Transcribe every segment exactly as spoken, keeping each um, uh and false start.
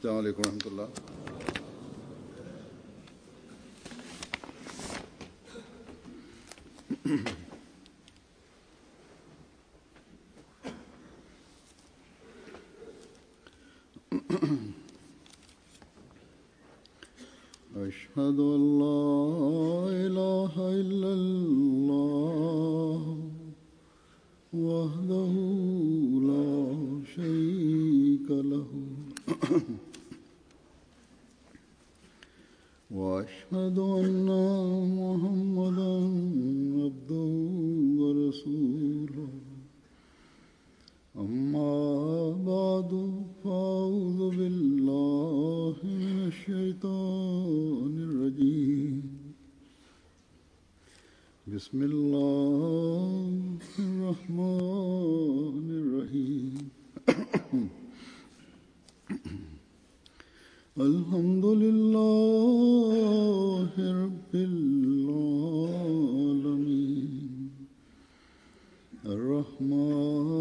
السلام عليكم ورحمة الله. أشهد أن لا إله إلا الله وحده لا شريك له وأشهد أن محمدا عبده ورسوله أما بعد فأعوذ بالله من الشيطان الرجيم بسم الله الرحمن الرحيم الحمد لله رب العالمين الرحمن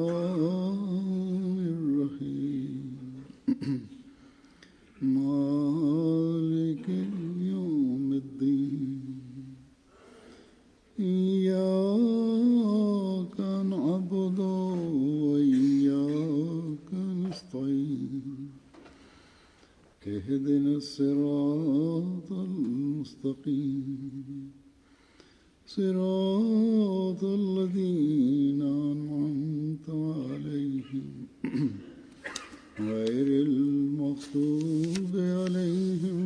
الرحيم مالك يوم الدين إياك نعبد وإياك نستعين اهدنا الصراط المستقيم صراط الذين أنعمت عليهم غير المغضوب عليهم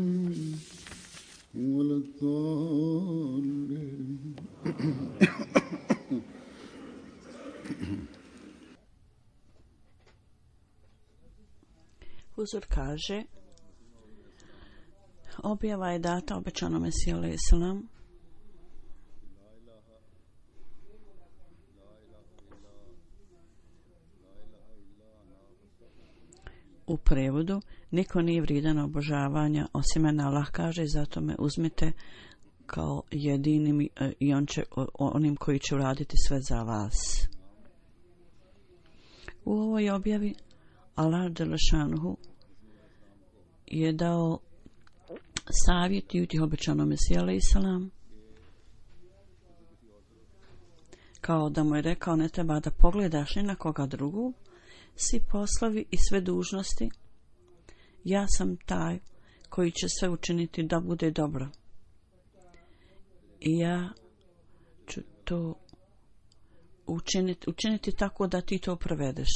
ولا الضالين. Huzur kaže, objava je data obećanom Mesiji alejhi selam u prevodu: niko nije vrijedan obožavanja osim mene. Allah kaže, zato me uzmite kao jedinim i on će, onim koji će uraditi sve za vas. U ovoj objavi Allah dželešanuhu je dao savjet i utih obećanom Mesiji alejhi selam, kao da mu je rekao, ne treba da pogledaš ni na koga drugu, svi poslovi i sve dužnosti, ja sam taj koji će sve učiniti da bude dobro i ja ću to učiniti, učiniti tako da ti to provedeš.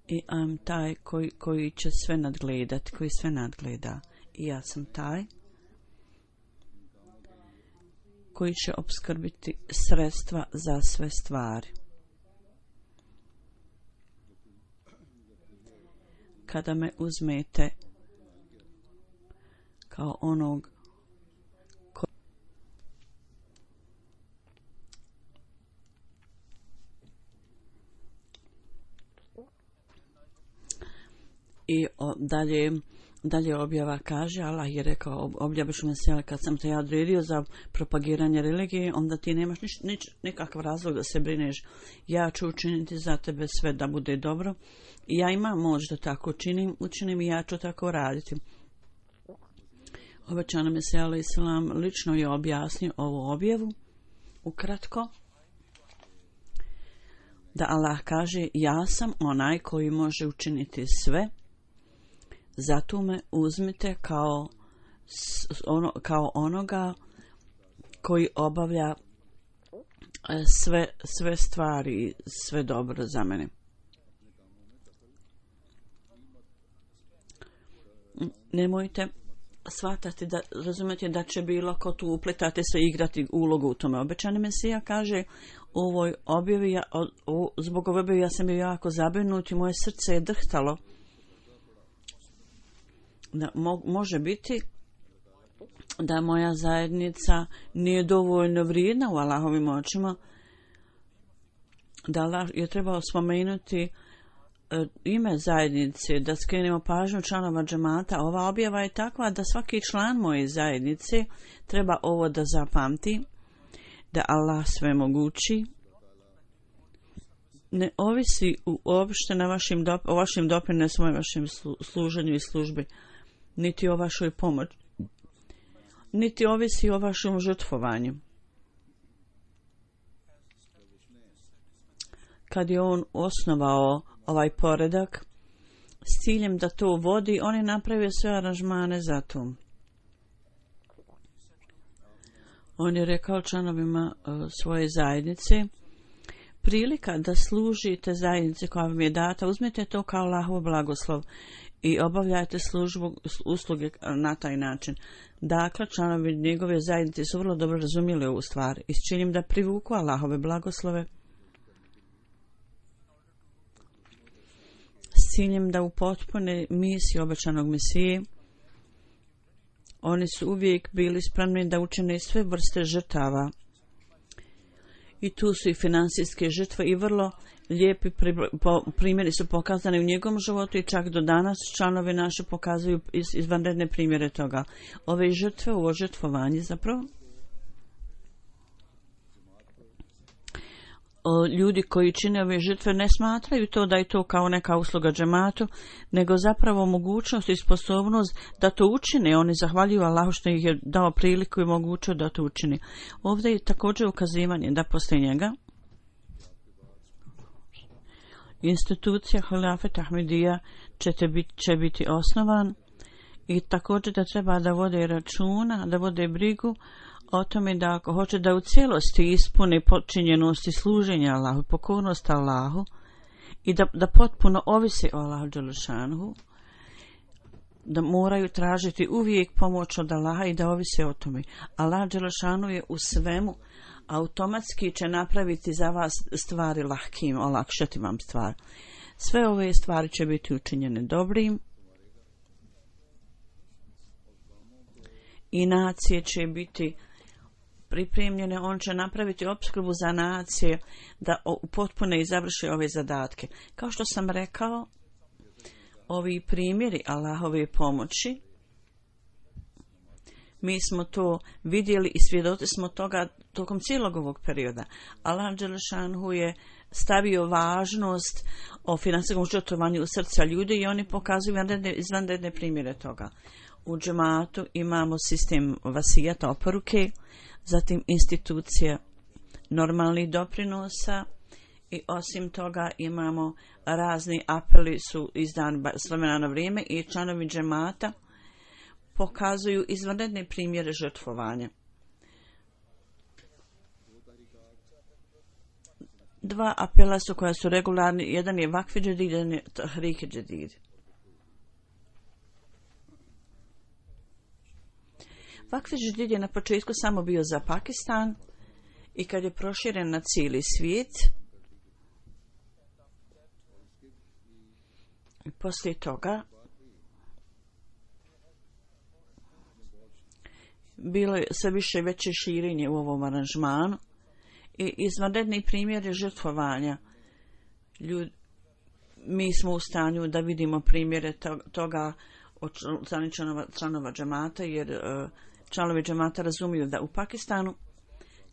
I am taj koji, koji će sve nadgledati, koji sve nadgleda. I ja sam taj koji će opskrbiti sredstva za sve stvari. Kada me uzmete kao onog ko... I o, dalje Dalje objava kaže, Allah je rekao, objaviš me se, kad sam te ja odredio za propagiranje religije, onda ti nemaš nič, nič, nikakav razlog da se brineš. Ja ću učiniti za tebe sve da bude dobro. I ja imam moć da tako učinim, učinim i ja ću tako raditi. Obećano Mesija alejhi selam lično je objasnio ovu objavu, ukratko, da Allah kaže, ja sam onaj koji može učiniti sve, zato me uzmite kao, ono, kao onoga koji obavlja sve, sve stvari, sve dobro za mene. Nemojte shvatati da, razumijete da će bilo ko tu upletati se igrati ulogu u tome. Obećani Mesija kaže, u ovoj objavi, ja, o, zbog ove objave ja sam bio jako zabrinut i moje srce je drhtalo. Da, mo, može biti da moja zajednica nije dovoljno vrijedna u Allahovim očima, da Allah je trebao spomenuti e, ime zajednice, da skrenemo pažnju članova džemata. Ova objava je takva da svaki član moje zajednice treba ovo da zapamti, da Allah sve mogući, ne ovisi uopšte na vašim dop- o vašim doprinosima i vašem služenju i službi, niti o vašoj pomoći, niti ovisi o vašem žrtvovanju. Kad je on osnovao ovaj poredak s ciljem da to vodi, on je napravio sve aranžmane za to. On je rekao članovima uh, svoje zajednice, prilika da služite zajednice koja vam je data, uzmite to kao Allahov blagoslov i obavljajte službu, usluge na taj način. Dakle, članovi njegove zajednice su vrlo dobro razumjeli ovu stvar i s ciljem da privuku Allahove blagoslove, s ciljem da upotpune misiju obećanog Mesije. Oni su uvijek bili spremni da učine sve vrste žrtava. I tu su i finansijske žrtve i vrlo lijepi primjeri su pokazani u njegovom životu i čak do danas članovi naši pokazuju izvanredne primjere toga. Ove žrtve, ovo žrtvovanje zapravo, ljudi koji čine ove žrtve ne smatraju to da je to kao neka usluga džematu, nego zapravo mogućnost i sposobnost da to učine. Oni zahvaljuju Allahu što ih je dao priliku i mogućnost da to učini. Ovdje je također ukazivanje da poslije njega institucija Hilafet Ahmedija će biti, će biti osnovan i također da treba da vode računa, da vode brigu o tome da ako hoće da u cijelosti ispune počinjenosti služenja Allahu, pokornost Allahu i da, da potpuno ovisi o Allahu dželešanuhu, da moraju tražiti uvijek pomoć od Allaha i da ovise o tome. Allah dželešanu je u svemu, automatski će napraviti za vas stvari lahkim, olakšati vam stvar. Sve ove stvari će biti učinjene dobrim i nacije će biti pripremljene, on će napraviti opskrbu za nacije da potpune i završe ove zadatke. Kao što sam rekao, ovi primjeri Allahove pomoći, mi smo to vidjeli i svjedoci smo toga tokom cijelog ovog perioda. Allah dželešanhu je stavio važnost o finansijskom žrtvovanju u srca ljudi i oni pokazuju izvanredne primjere toga. U džematu imamo sistem vasijata, oporuke, zatim institucija normalnih doprinosa i osim toga imamo razni apeli su izdani s vremena na vrijeme i članovi džemata pokazuju izvanredne primjere žrtvovanja. Dva apela su koja su regularni, jedan je Vakfi Džedid, jedan je Tahrik Džedid. Vakfi Džedid je na početku samo bio za Pakistan i kad je proširen na cijeli svijet, i poslije toga bilo je sve više veće širenje u ovom aranžmanu i izvanredni primjeri žrtvovanja. Ljud, mi smo u stanju da vidimo primjere toga od članova, članova džemata, jer članovi džemata razumiju da u Pakistanu,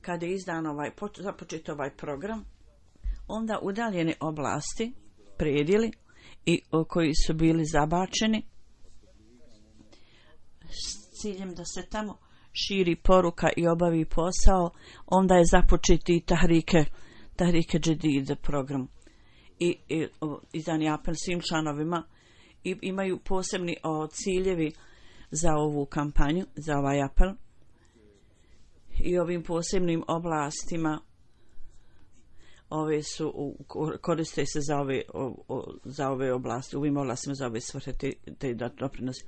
kada je izdan ovaj, započet ovaj program, onda udaljene oblasti, predjeli i koji su bili zabačeni s ciljem da se tamo širi poruka i obavi posao, onda je započeti i tahrike, tahrike džedid program. I, i izdan je apel svim članovima i imaju posebni o, ciljevi za ovu kampanju, za ovaj apel i ovim posebnim oblastima ove su, koriste se za ove, o, o, za ove oblasti, u ovim oblastima za ove svrhe te, te doprinosi.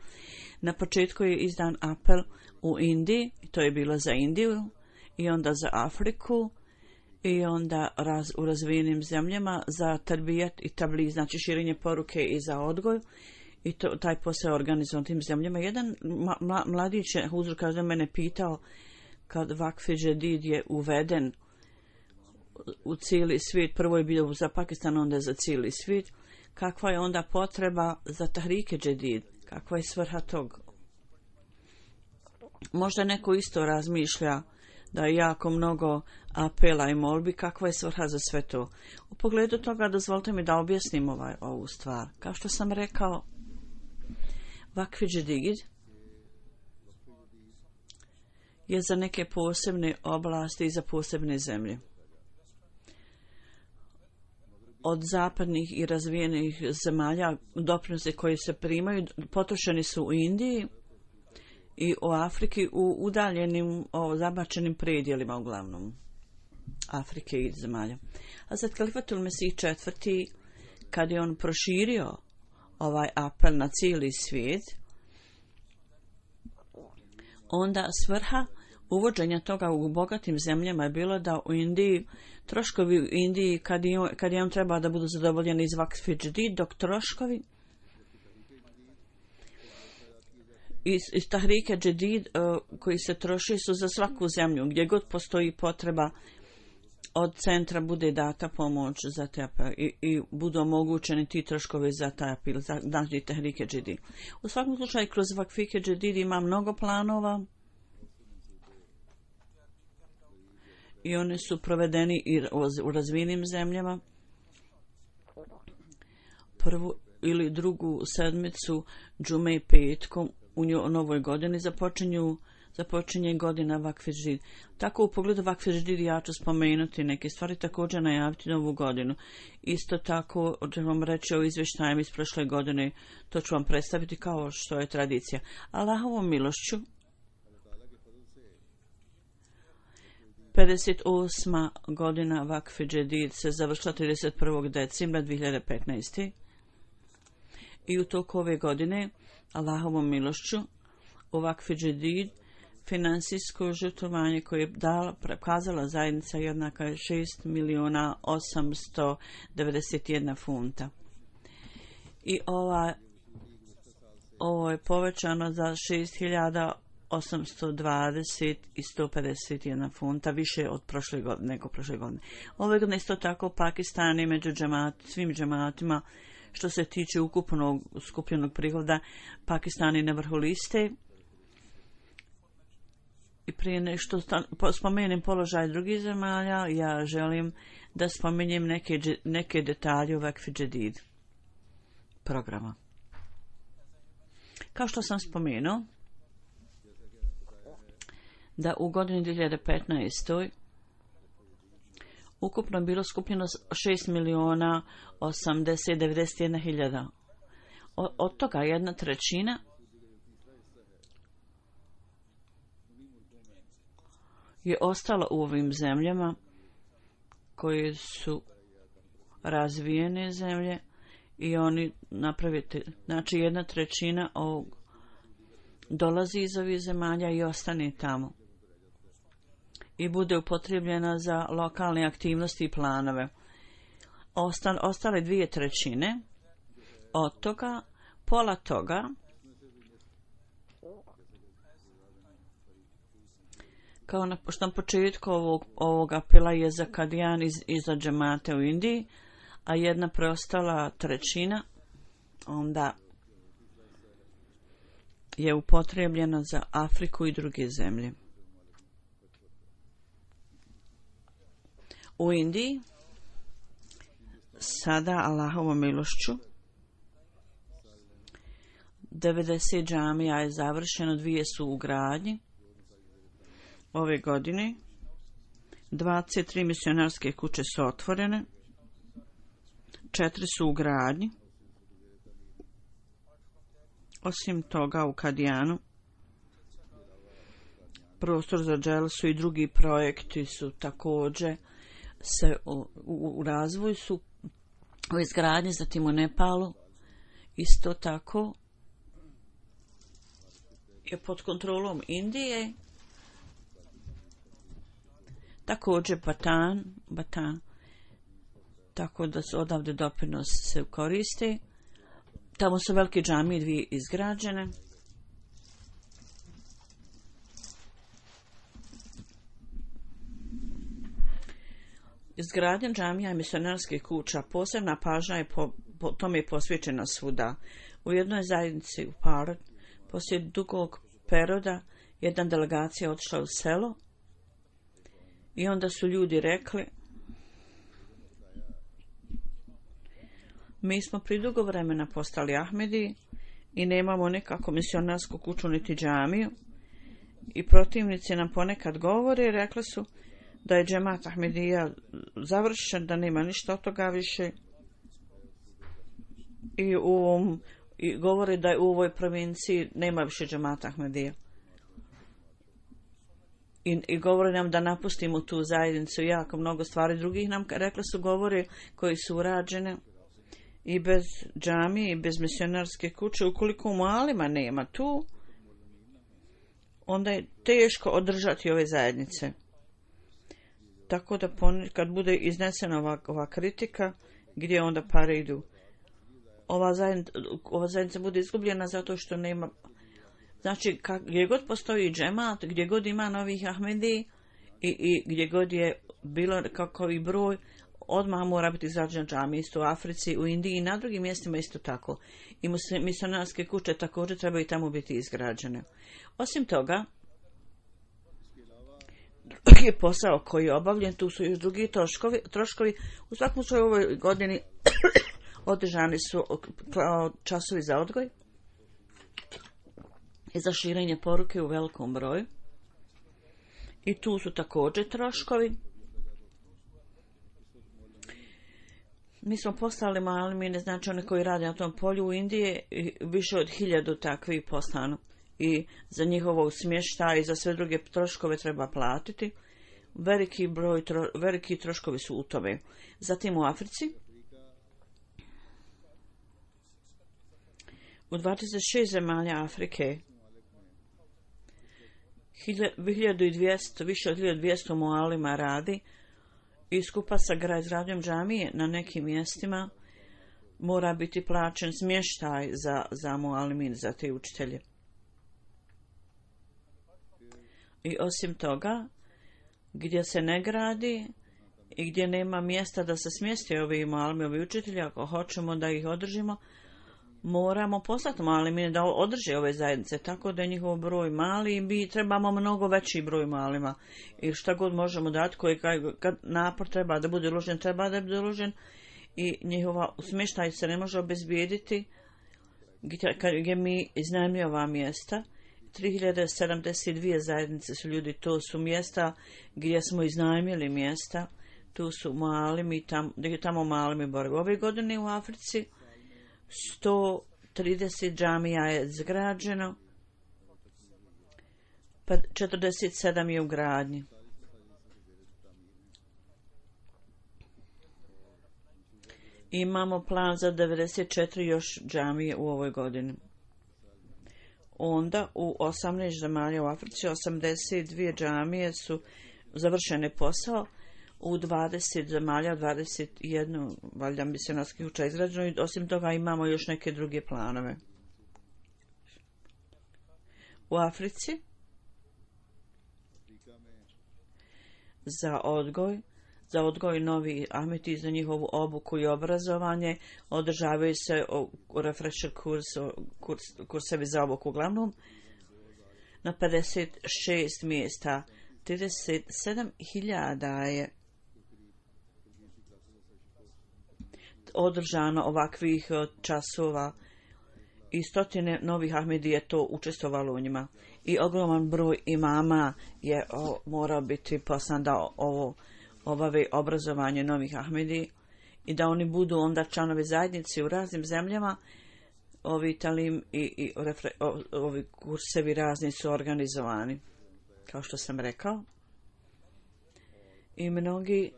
Na početku je izdan apel u Indiji, to je bilo za Indiju i onda za Afriku i onda raz, u razvijenim zemljama za tarbijat i tabli, znači širenje poruke i za odgoj. I to, taj posao organizovan tim zemljama. Jedan mla, mladić je, Huzur kaže, mene pitao kad Vakfi Džedid je uveden u cijeli svijet, prvo je bio za Pakistan, onda je za cijeli svijet, kakva je onda potreba za tahrike džedid, kakva je svrha tog. Možda neko isto razmišlja da je jako mnogo apela i molbi. Kakva je svrha za sve to? U pogledu toga dozvolite mi da objasnim ovaj, ovu stvar. Kao što sam rekao, Vakf Džedid je za neke posebne oblasti i za posebne zemlje. Od zapadnih i razvijenih zemalja doprinose koji se primaju potrošeni su u Indiji i u Afriki u udaljenim, o, zabačenim predjelima uglavnom Afrike i zemalja. A sad Kalifatul Mesih četvrti, kad je on proširio ovaj apel na cijeli svijet, onda svrha uvođenja toga u bogatim zemljama je bilo da u Indiji, troškovi u Indiji, kad je, kad je on treba da budu zadovoljeni iz Vakf Džedid, dok troškovi iz, iz Tahrike Džedid uh, koji se troši su za svaku zemlju, gdje god postoji potreba od centra bude data pomoć za te apel i, i budu omogućeni ti troškovi za taj apel, za znači Tahrike Džedid. U svakom slučaju, kroz Vakf Džedid ima mnogo planova i oni su provedeni i u razvijenim zemljama. Prvu ili drugu sedmicu džume i petkom u novoj godini započinju započinje godina Vakf Džedid. Tako u pogledu Vakf Džedid ja ću spomenuti neke stvari, također najaviti novu godinu. Isto tako ću vam reći o izvještajima iz prošle godine, to ću vam predstaviti kao što je tradicija. Allahovom milošću pedeset osma godina Vakf Džedid se završila trideset prvog decembra dvije hiljade petnaeste. I u toku ove godine, Allahovom milošću, u Vakf Džedid financijsko žrtvovanje koje je dala, prokazala zajednica jednaka je šest milijuna osamsto devedeset jedna funta. I ova, ovo je povećano za šest hiljada osamsto dvadeset i sto pedeset jedna funta, više od prošle godine, nego prošle godine. Ove godine isto tako Pakistan je među džemat, svim džematima, što se tiče ukupnog skupljenog prihoda, Pakistan je na vrhu liste. I prije nešto spomenem položaj drugih zemalja, ja želim da spomenjem neke, neke detalje u Vakf Džedid programa. Kao što sam spomenuo, da u godini dvije hiljade petnaeste. ukupno bilo skupljeno šest milijuna osamdeset devedeset jedna hiljada. Od toga jedna trećina je ostala u ovim zemljama koje su razvijene zemlje i oni napravite, znači jedna trećina ovog dolazi iz ovih zemalja i ostane tamo i bude upotrijebljena za lokalne aktivnosti i planove. Ostale, ostale dvije trećine od toga, pola toga kao na, što na početku ovog, ovog apela je za Kadijan iz, i za džemate u Indiji, a jedna preostala trećina onda je upotrijebljena za Afriku i druge zemlje. U Indiji sada Allahovom milošću devedeset džamija je završeno, dvije su u gradnji. Ove godine dvadeset tri misionarske kuće su otvorene, četiri su u gradnji. Osim toga u Kadijanu prostor za dželsu i drugi projekti su također se u, u, u razvoju su u izgradnji, zatim u Nepalu isto tako je pod kontrolom Indije, također Batan, Batan, tako da su odavde doprinos se koriste. Tamo su velike džamije dvije izgrađene. Izgradnja džamija i misionarskih kuća, posebna pažnja je po, po tome je posvećena svuda. U jednoj zajednici u Parad, poslije dugog perioda, jedna delegacija otišla u selo I onda su ljudi rekli, mi smo pridugo vremena postali Ahmedi i nemamo nekako misionarsku kuću niti džamiju. I protivnici nam ponekad govore, rekli su da je džemat Ahmedija završen, da nema ništa od toga više. I, u ovom, i govore da u ovoj provinciji nema više džemata Ahmedija. I, I govore nam da napustimo tu zajednicu, jako mnogo stvari drugih nam rekli su govore koji su urađene i bez džamije i bez misionarske kuće. Ukoliko u malima nema tu, onda je teško održati ove zajednice. Tako da kad bude iznesena ova, ova kritika, gdje onda pare idu? Ova zajednica, ova zajednica bude izgubljena zato što nema. Znači, kak, gdje god postoji džemat, gdje god ima novih Ahmedi i, i gdje god je bilo kakav broj, odmah mora biti izrađena džamija, isto u Africi, u Indiji i na drugim mjestima isto tako. I misionarske kuće također trebaju tamo biti izgrađene. Osim toga, drugi posao koji je obavljen, tu su još drugi troškovi. troškovi. U svakom slučaju u ovoj godini održani su časovi za odgoj i za širenje poruke u velikom broju. I tu su također troškovi. Mi smo poslali mali, mi ne znači one koji rade na tom polju u Indiji, više od hiljadu takvih poslano. I za njihovog smještaja i za sve druge troškove treba platiti. Veliki broj, tro, veliki troškovi su u tome. Zatim u Africi, u dvadeset šest zemalja Afrike, hiljadu dvjesto, više od hiljadu dvjesto mualima radi i skupa sa izgradnjom džamije na nekim mjestima mora biti plaćen smještaj za, za mualimin, za te učitelje. I osim toga, gdje se ne gradi i gdje nema mjesta da se smjesti ovi mualimi, ovi učitelji, ako hoćemo da ih održimo, moramo poslati mualimine da održe ove zajednice, tako da je njihov broj mali i mi trebamo mnogo veći broj mualima. I šta god možemo dati, koji kad napor treba da bude uložen, treba da bude uložen i njihova smještaj se ne može obezbijediti gdje, gdje mi iznajmljujemo ova mjesta. tri hiljade sedamdeset dvije zajednice su ljudi, to su mjesta gdje smo iznajmili mjesta, tu su malimi, tam, tamo malimi borbe. Ove godine u Africi sto trideset džamija je zgrađeno, pa četrdeset sedam je u gradnji. Imamo plan za devedeset četiri još džamije u ovoj godini. Onda u osamnaest zemalja u Africi osamdeset dvije džamije su završene posao, u dvadeset zemalja, dvadeset jedna valjda misionarskih kuća izgrađeno i osim toga imamo još neke druge planove. U Africi za odgoj, za odgoj novi Ahmeti, za njihovu obuku i obrazovanje održavaju se refresher kurs, kurs, kursevi za obuku uglavnom na pedeset šest mjesta. trideset sedam hiljada je održano ovakvih časova i stotine novih Ahmedi je to učestvovalo u njima. I ogroman broj imama je o, morao biti poslan da ovo obave obrazovanje novih Ahmedi i da oni budu onda članovi zajednice u raznim zemljama. Ovi talim i, i refre, o, ovi kursevi razni su organizovani, kao što sam rekao. I mnogi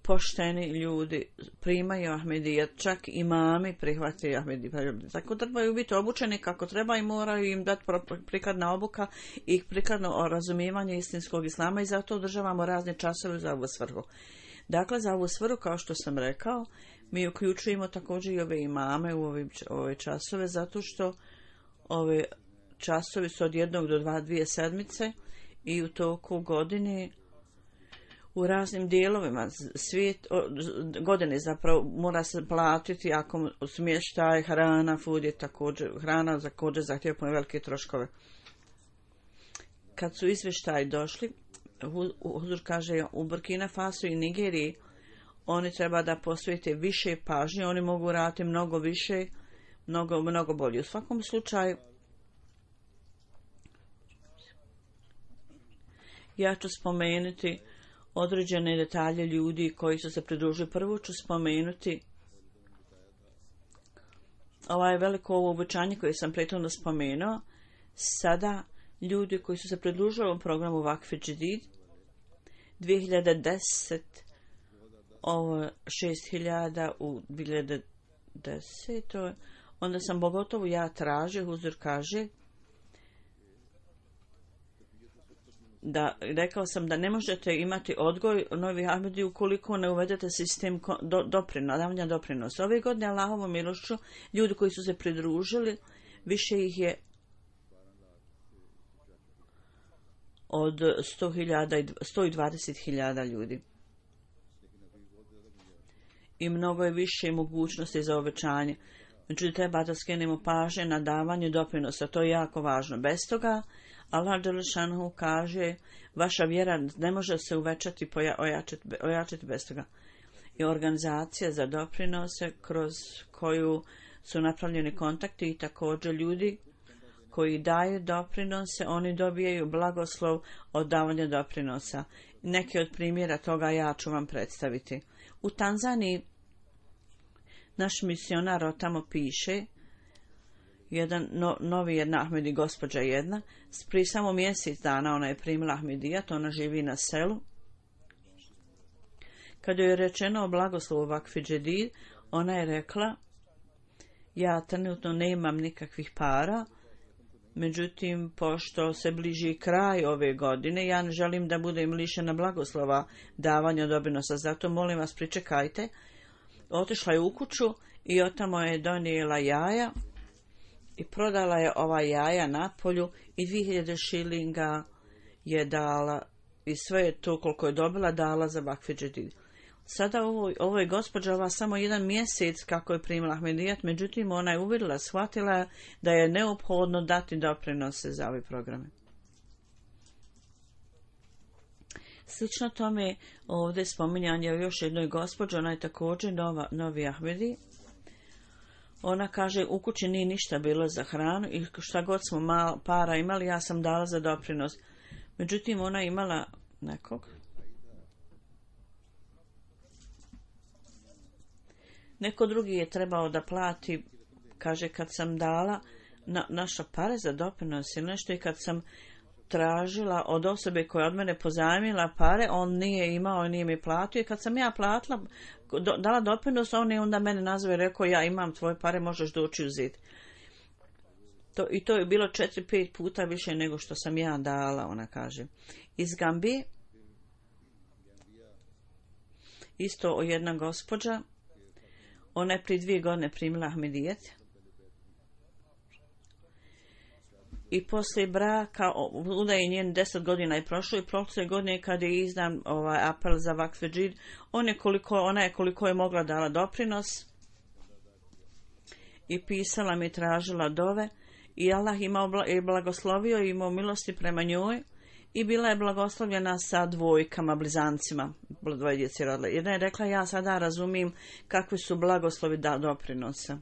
pošteni ljudi primaju Ahmedija, čak imami prihvatili Ahmedija. Tako trebaju biti obučeni kako treba i moraju im dati prikladna obuka i prikladno razumijevanje istinskog islama i zato održavamo razne časove za ovu svrhu. Dakle, za ovu svrhu, kao što sam rekao, mi uključujemo također i ove imame u ove, ove časove, zato što ove časovi su od jednog do dva, dvije sedmice i u toku godine u raznim dijelovima svijet, godine zapravo mora se platiti ako smještaj, hrana, food je također, hrana također zahtjeva velike troškove. Kad su izvještaji došli, Huzur kaže u Burkina Faso i Nigeriji oni treba da posvete više pažnje, oni mogu raditi mnogo više, mnogo, mnogo bolje. U svakom slučaju, ja ću spomenuti određene detalje ljudi koji su se pridružili. Prvo ću spomenuti ovaj veliko ovo obećanje koje sam prethodno spomenuo. Sada ljudi koji su se pridružili ovom programu Vakf Džedid, dvije hiljade deset ovo šest hiljada u dvije hiljade deset. Onda sam pogotovo ja tražio, Huzur kaže, da rekao sam da ne možete imati odgoj Novi Ahmedi ukoliko ne uvedete sistem do, doprino, davanja doprinosa. Ove godine Allahovom milošću ljudi koji su se pridružili, više ih je od sto hiljada i sto dvadeset hiljada ljudi. I mnogo je više mogućnosti za obećanje. Međutim, treba da skrenemo pažnje na davanje doprinosa. To je jako važno. Bez toga, Allah Đelešanu kaže, vaša vjera ne može se uvećati, ojačati, ojačati bez toga. I organizacija za doprinose kroz koju su napravljeni kontakti i također ljudi koji daju doprinose, oni dobijaju blagoslov od davanja doprinosa. Neki od primjera toga ja ću vam predstaviti. U Tanzaniji naš misionar od tamo piše, jedan no, novi jedna Ahmedi, gospođa jedna, prije samo mjesec dana ona je primila Ahmedijat, ona živi na selu. Kada joj je rečeno o blagoslovu Vakf Džedid, ona je rekla, ja trenutno nemam nikakvih para, međutim, pošto se bliži kraj ove godine, ja ne želim da budem lišena blagoslova davanja doprinosa, zato molim vas pričekajte. Otišla je u kuću i otamo je donijela jaja i prodala je ova jaja na polju i dvije hiljade šilinga je dala i sve je to koliko je dobila dala za Vakf Džedid. Sada ovo, ovo je gospođa ova samo jedan mjesec kako je primila Ahmedijat, međutim ona je uvidjela, shvatila da je neophodno dati doprinose za ove programe. Slično tome ovdje spominjanje o još jednoj gospođi, ona je također nova, novi Ahmedi. Ona kaže, u kući nije ništa bilo za hranu i šta god smo malo para imali, ja sam dala za doprinos. Međutim, ona imala nekog. Neko drugi je trebao da plati, kaže, kad sam dala na, naša pare za doprinos ili nešto i kad sam tražila od osobe koja od mene pozajmila pare, on nije imao i nije mi platio i kad sam ja platila, do, dala doprinos, on je onda mene nazvao i rekao, ja imam tvoje pare, možeš doći uzeti. To, I to je bilo četiri, pet puta više nego što sam ja dala, ona kaže. Iz Gambije, isto jedna gospođa, ona je prije dvije godine primila Ahmedijet. I poslije braka, uda je njen deset godina je prošlo i prošle godine kad je izdan ovaj apel za Vakf Džedid, on je koliko, ona je koliko je mogla dala doprinos i pisala mi, tražila dove i Allah imao je blagoslovio i imao milosti prema njoj i bila je blagoslovljena sa dvojkama, blizancima, dvoje djece rodile. Jedna je rekla, ja sada razumijem kakvi su blagoslovi da doprinosa.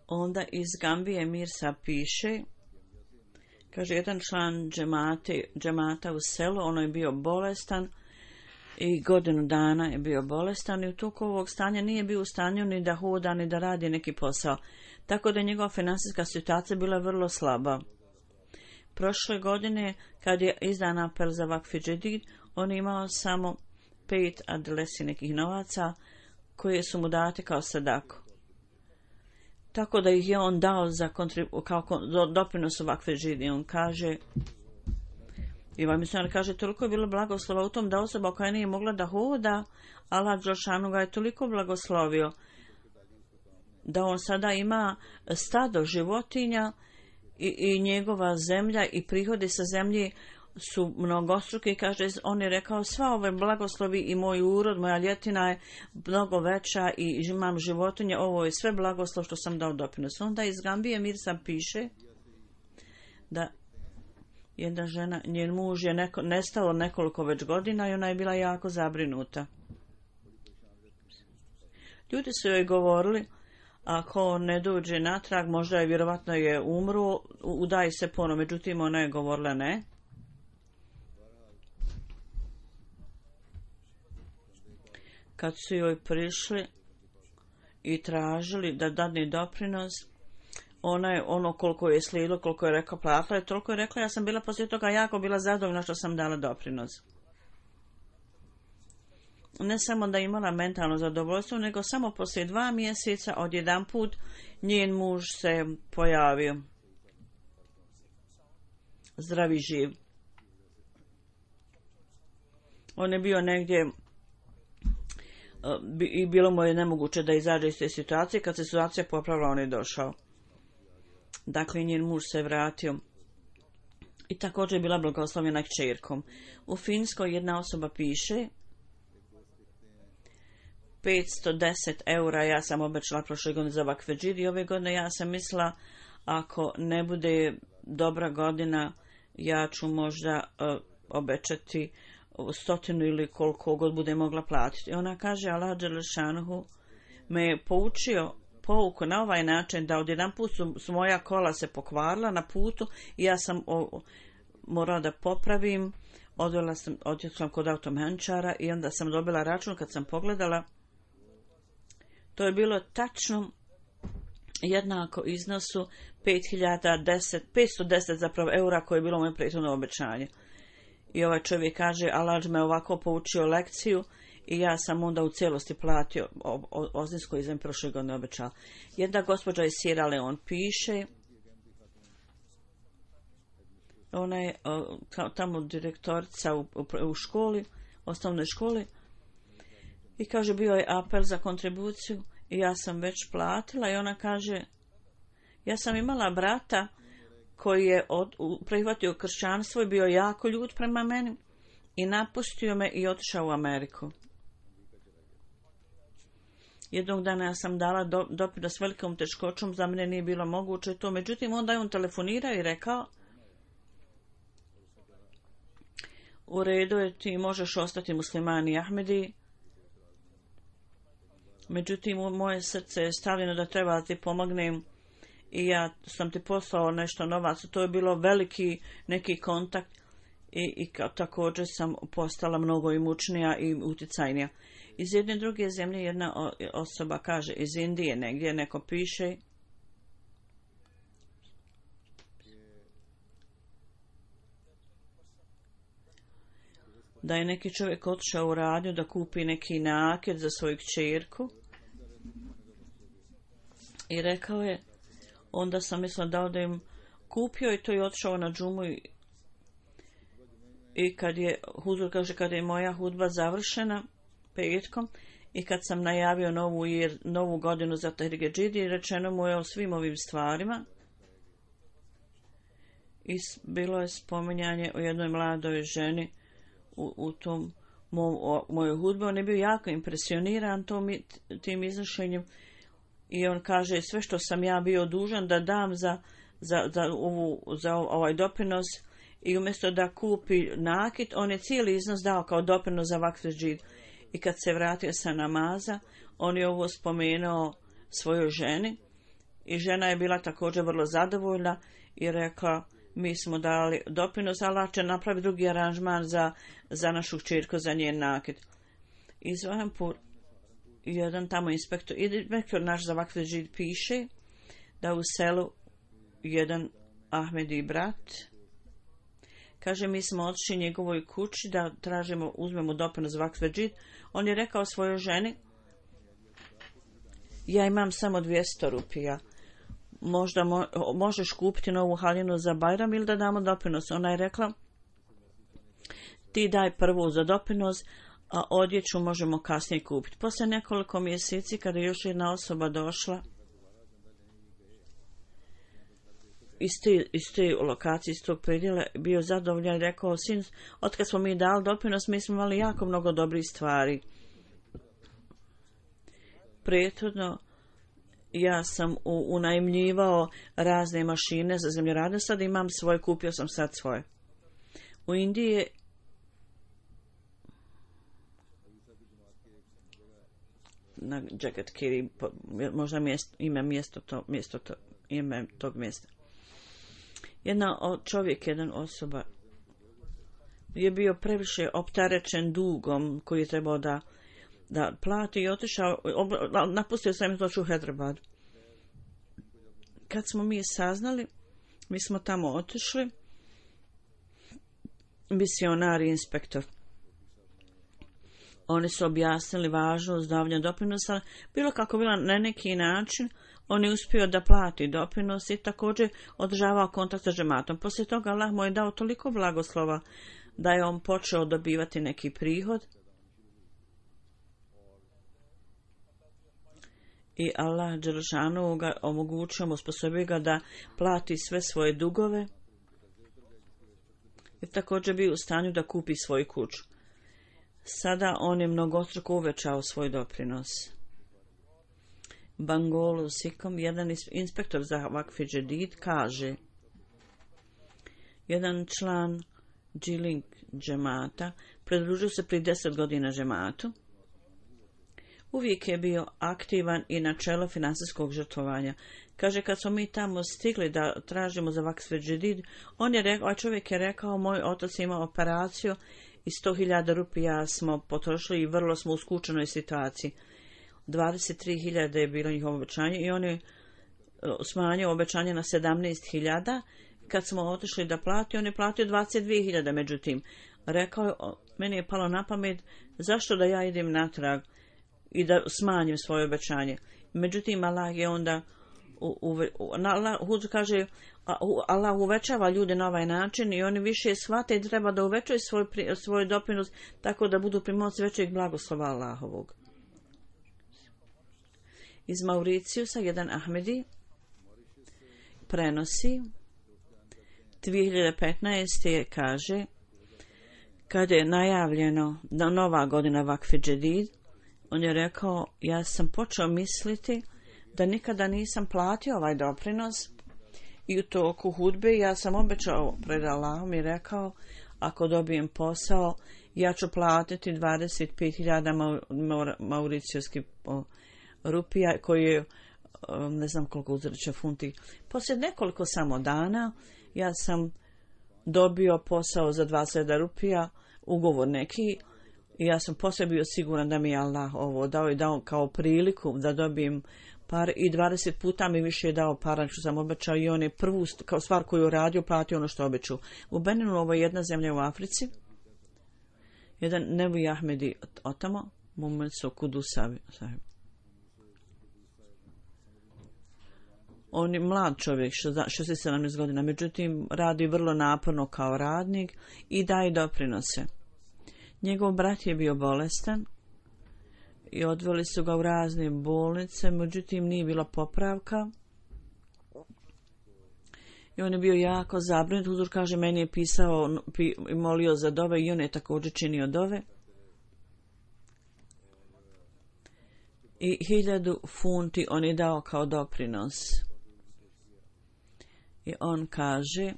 Onda iz Gambije Mirsa piše, kaže, jedan član džemate, džemata u selu, ono je bio bolestan i godinu dana je bio bolestan i u toku ovog stanja nije bio u stanju ni da hoda, ni da radi neki posao. Tako da je njegova finansijska situacija bila vrlo slaba. Prošle godine, kad je izdan apel za Vakf Džedid, on je imao samo pet adresi nekih novaca koje su mu date kao sadaku. Tako da ih je on dao za kontribu, kao doprinos u Vakf Džedid. I on kaže, i ovaj misionar kaže, toliko je bilo blagoslova u tom da osoba koja nije mogla da hoda, Allah Đelešanu ga je toliko blagoslovio da on sada ima stado životinja i, i njegova zemlja i prihodi sa zemlje su mnogostruki, kaže, on je rekao, sva ove blagoslovi i moj urod, moja ljetina je mnogo veća i imam životinje, ovo je sve blagoslov što sam dao doprinos. Onda iz Gambije Mirza piše da jedna žena, njen muž je neko, nestalo nekoliko već godina i ona je bila jako zabrinuta. Ljudi su joj govorili, ako ne dođe natrag, možda je vjerovatno je umro, udaj se ponovo. Međutim, ona je govorila ne. Kad su joj prišli i tražili da dadne doprinos, ona je ono koliko je slijedilo, koliko je rekla, platila je, toliko je rekla, ja sam bila poslije toga jako bila zadovoljna što sam dala doprinos. Ne samo da je imala mentalno zadovoljstvo, nego samo poslije dva mjeseca odjedanput njen muž se pojavio. Zdravi živ. On je bio negdje i bilo mu je nemoguće da izađe iz te situacije. Kad se situacija popravila, on je došao. Dakle, njen muž se vratio. I također je bila blagoslovljena kćerkom. U Finskoj jedna osoba piše petsto deset eura ja sam obećala prošle godine za vakfedžid i ove godine ja sam mislila ako ne bude dobra godina ja ću možda uh, obećati stotinu ili koliko god bude mogla platiti. I ona kaže Allah dželešanuhu me je poučio pouku na ovaj način da odjedan put su, su moja kola se pokvarila na putu i ja sam o, morala da popravim. Odvela sam, odjela kod automenčara i onda sam dobila račun kad sam pogledala. To je bilo tačno jednako iznosu pet hiljada deset, petsto deset zapravo eura koje je bilo moje prethodno obećanje. I ovaj čovjek kaže, Allah me ovako poučio lekciju i ja sam onda u cijelosti platio ozins koji sam prošle godine obećala. Jedna gospođa iz Sierra Leone piše, ona je tamo direktorica u, u, u školi, osnovnoj školi, i kaže bio je apel za kontribuciju i ja sam već platila i ona kaže ja sam imala brata koji je od, prihvatio kršćanstvo i bio jako ljut prema meni i napustio me i otišao u Ameriku. Jednog dana ja sam dala do, doprinos s velikom teškoćom, za mene nije bilo moguće to, međutim onda je on telefonirao i rekao u redu je, ti možeš ostati muslimani Ahmedi. Međutim, u moje srce je stavljeno da treba ti pomognem i ja sam ti poslao nešto novac. To je bilo veliki neki kontakt i, i također sam postala mnogo imućnija i uticajnija. Iz jedne druge zemlje jedna osoba kaže, iz Indije negdje neko piše da je neki čovjek otišao u radnju da kupi neki naket za svoju kćerku i rekao je, onda sam mislila da odajem, kupio i to je otišao na džumu i, i kad je huzur kaže kada je moja hudba završena petkom i kad sam najavio novu, jer, novu godinu za Tahrir Džidi, rečeno mu je o svim ovim stvarima i bilo je spominjanje o jednoj mladoj ženi u, u tom mom, o, mojoj hudbi. On je bio jako impresioniran tom, tim iznošenjem i on kaže sve što sam ja bio dužan da dam za, za, za, ovu, za ovaj doprinos i umjesto da kupi nakit, on je cijeli iznos dao kao doprinos za vakfedžid. I kad se vratio sa namaza, on je ovo spomenuo svojoj ženi i žena je bila također vrlo zadovoljna i rekla mi smo dali doprinos, Allah će napraviti drugi aranžman za, za našu kćerku, za njen nakit. I Zohampur, jedan tamo inspektor, inspektor naš za vakfedžid piše da u selu jedan Ahmedi brat kaže mi smo otišli njegovoj kući da tražimo, uzmemo doprinos za vakfedžid. On je rekao svojoj ženi ja imam samo dvjesto rupija, možda mo, možeš kupiti novu haljinu za Bajram ili da damo doprinos. Ona je rekla ti daj prvu za doprinos, a odjeću možemo kasnije kupiti. Poslije nekoliko mjeseci kada je još jedna osoba došla iz te, iz te lokacije, iz tog predjela bio zadovoljan i rekao, sin, otkad smo mi dali doprinos, mi smo imali jako mnogo dobrih stvari. Prethodno ja sam u, unajmljivao razne mašine za zemljoradnje, sad imam svoje, kupio sam sad svoje. U Indiji je na Jagat Kiri, možda mjesto, ime mjesto, to, mjesto to, ime tog mjesta. Jedna od čovjek, jedan osoba je bio previše opterećen dugom koji je trebao da, da plati i otišao, napustio sam to u Hyderabad. Kad smo mi saznali, mi smo tamo otišli, misionar i inspektor. Oni su objasnili važnost davanja doprinosa, bilo kako bilo na neki način, on je uspio da plati doprinos i također održavao kontakt sa džematom. Poslije toga Allah mu je dao toliko blagoslova da je on počeo dobivati neki prihod i Allah dželešanu ga omogućio, osposobio ga da plati sve svoje dugove i također bio u stanju da kupi svoju kuću. Sada on je mnogostruko uvećao svoj doprinos. Bangolu Sikom, jedan inspektor za Vakf Džedid, kaže, jedan član Džilink džemata pridružio se prije deset godina džematu. Uvijek je bio aktivan i na čelo finansijskog žrtvovanja. Kaže, kad smo mi tamo stigli da tražimo za Vakf Džedid, on je rekao, a čovjek je rekao, moj otac ima operaciju i sto hiljada rupija smo potrošili i vrlo smo u skučenoj situaciji. dvadeset tri hiljade je bilo njihovo obećanje i on je smanjio obećanje na sedamnaest hiljada. Kad smo otišli da plati, on je platio dvadeset dvije hiljade. Međutim, rekao je, meni je palo na pamet, zašto da ja idem natrag i da smanjim svoje obećanje. Međutim, Allah je onda u, u, u, Allah, Huzu kaže, Allah uvećava ljude na ovaj način i oni više shvate i treba da uvećaju svoj, svoj doprinos tako da budu pri moći većeg blagoslova Allahovog. Iz Mauricijusa jedan Ahmedi prenosi dvije hiljade petnaeste. kaže, kada je najavljeno da nova godina Vakf Džedid, on je rekao, ja sam počeo misliti da nikada nisam platio ovaj doprinos i u toku hudbe ja sam obećao pred Allahom i rekao, ako dobijem posao, ja ću platiti dvadeset pet hiljada mauricijskih rupija, koji je, ne znam koliko uzreće funti. Poslije nekoliko samo dana, ja sam dobio posao za dvadeset hiljada rupija, ugovor neki, i ja sam poslije bio siguran da mi je Allah ovo dao i dao kao priliku da dobijem par, i dvadeset puta mi više je dao para što sam obećao i on je prvu kao stvar koju je radio platio ono što obećao. U Beninu, ovo je jedna zemlja u Africi, jedan Nevi Ahmedi otamo, Muhammed Sokudu Sahib. On je mlad čovjek, šezdeset sedam godina, međutim radi vrlo naporno kao radnik i daje doprinose. Njegov brat je bio bolestan i odveli su ga u razne bolnice, međutim nije bilo popravka. I on je bio jako zabrinut. Huzur kaže, meni je pisao i molio za dove i on je također činio dove. I hiljadu funti on je dao kao doprinos. I on kaže,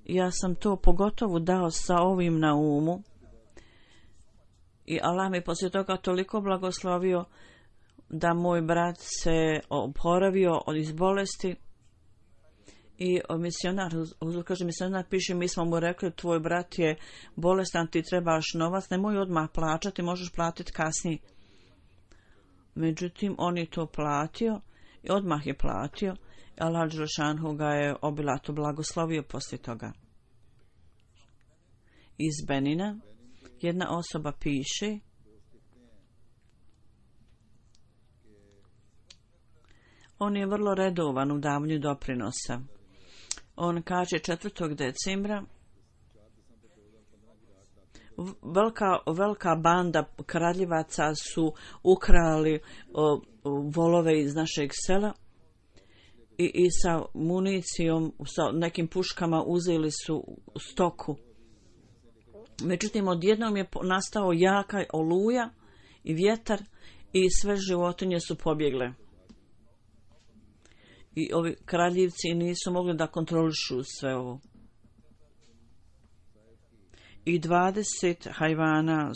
ja sam to pogotovo dao sa ovim na umu i Allah mi poslije toga toliko blagoslovio da moj brat se oporavio od iz bolesti i misionar, kaže misionar, piše, mi smo mu rekli, tvoj brat je bolestan, ti trebaš novac, nemoj odmah plaćati, možeš platiti kasnije. Međutim, on je to platio i odmah je platio. Allah dželešanu ga je obilato blagoslovio poslije toga. Iz Benina jedna osoba piše, on je vrlo redovan u davanju doprinosa. On kaže, četvrtog decembra velika, velika banda kradljivaca su ukrali o, o, volove iz našeg sela i, i sa municijom, sa nekim puškama uzeli su stoku. Međutim, odjednom je nastao jaka oluja i vjetar i sve životinje su pobjegle. I ovi kraljevci nisu mogli da kontrolišu sve ovo. I dvadeset hajvana,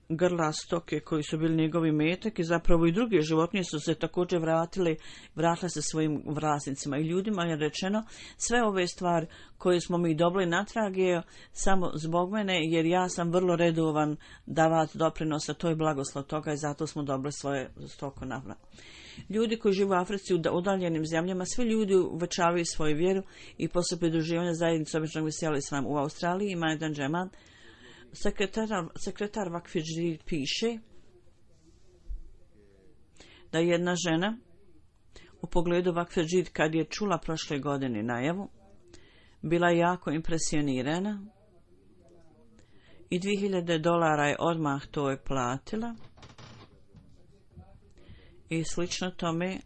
grla stoke koji su bili njegovi metak i zapravo i druge životinje su se također vratile, vratile se svojim vlasnicima. I ljudima je rečeno sve ove stvari koje smo mi dobili natrag je samo zbog mene, jer ja sam vrlo redovan davat doprinosa, to je blagoslov toga i zato smo dobili svoje stoko navrat. Ljudi koji žive u Africi u udaljenim zemljama, svi ljudi uvećavaju svoju vjeru i poslije pridruživanja zajednice običnog veselja islam. U Australiji ima jedan džemat. Sekretar, sekretar Vakfidži piše da jedna žena u pogledu Vakfidži kad je čula prošle godine najavu bila jako impresionirana i dvije hiljade dolara je odmah to je platila. I slično tome,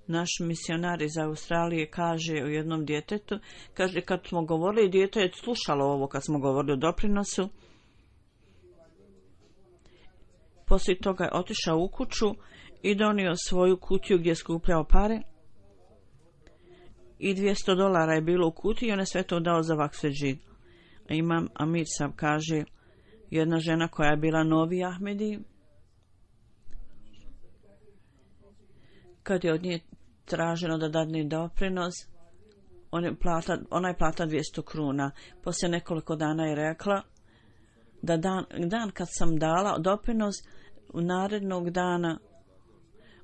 naš misionar iz Australije kaže u jednom djetetu, kaže kad smo govorili, dijete je slušalo ovo kad smo govorili o doprinosu. Poslije toga je otišao u kuću i donio svoju kutiju gdje je skupljao pare. I dvjesto dolara je bilo u kutiji i on je sve to dao za Vakfidži. Imam Amir Sab kaže, jedna žena koja je bila novi Ahmedi, kad je od nje traženo da dadne doprinos, on je plata, ona je plata dvjesto kruna. Poslije nekoliko dana je rekla da dan, dan kad sam dala doprinos, u narednog dana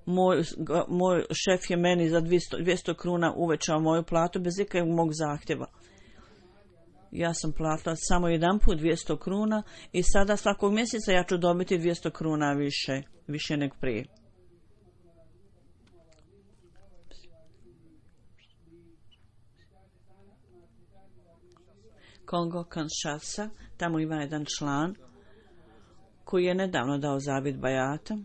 moj, moj šef je meni za dvjesto, dvjesto kruna uvećao moju platu bez ikakvog mog zahtjeva. Ja sam platila samo jedan put dvjesto kruna i sada svakog mjeseca ja ću dobiti dvjesto kruna više, više nego prije. Kongo Kinshasa, tamo ima jedan član koji je nedavno dao zavjet bajata.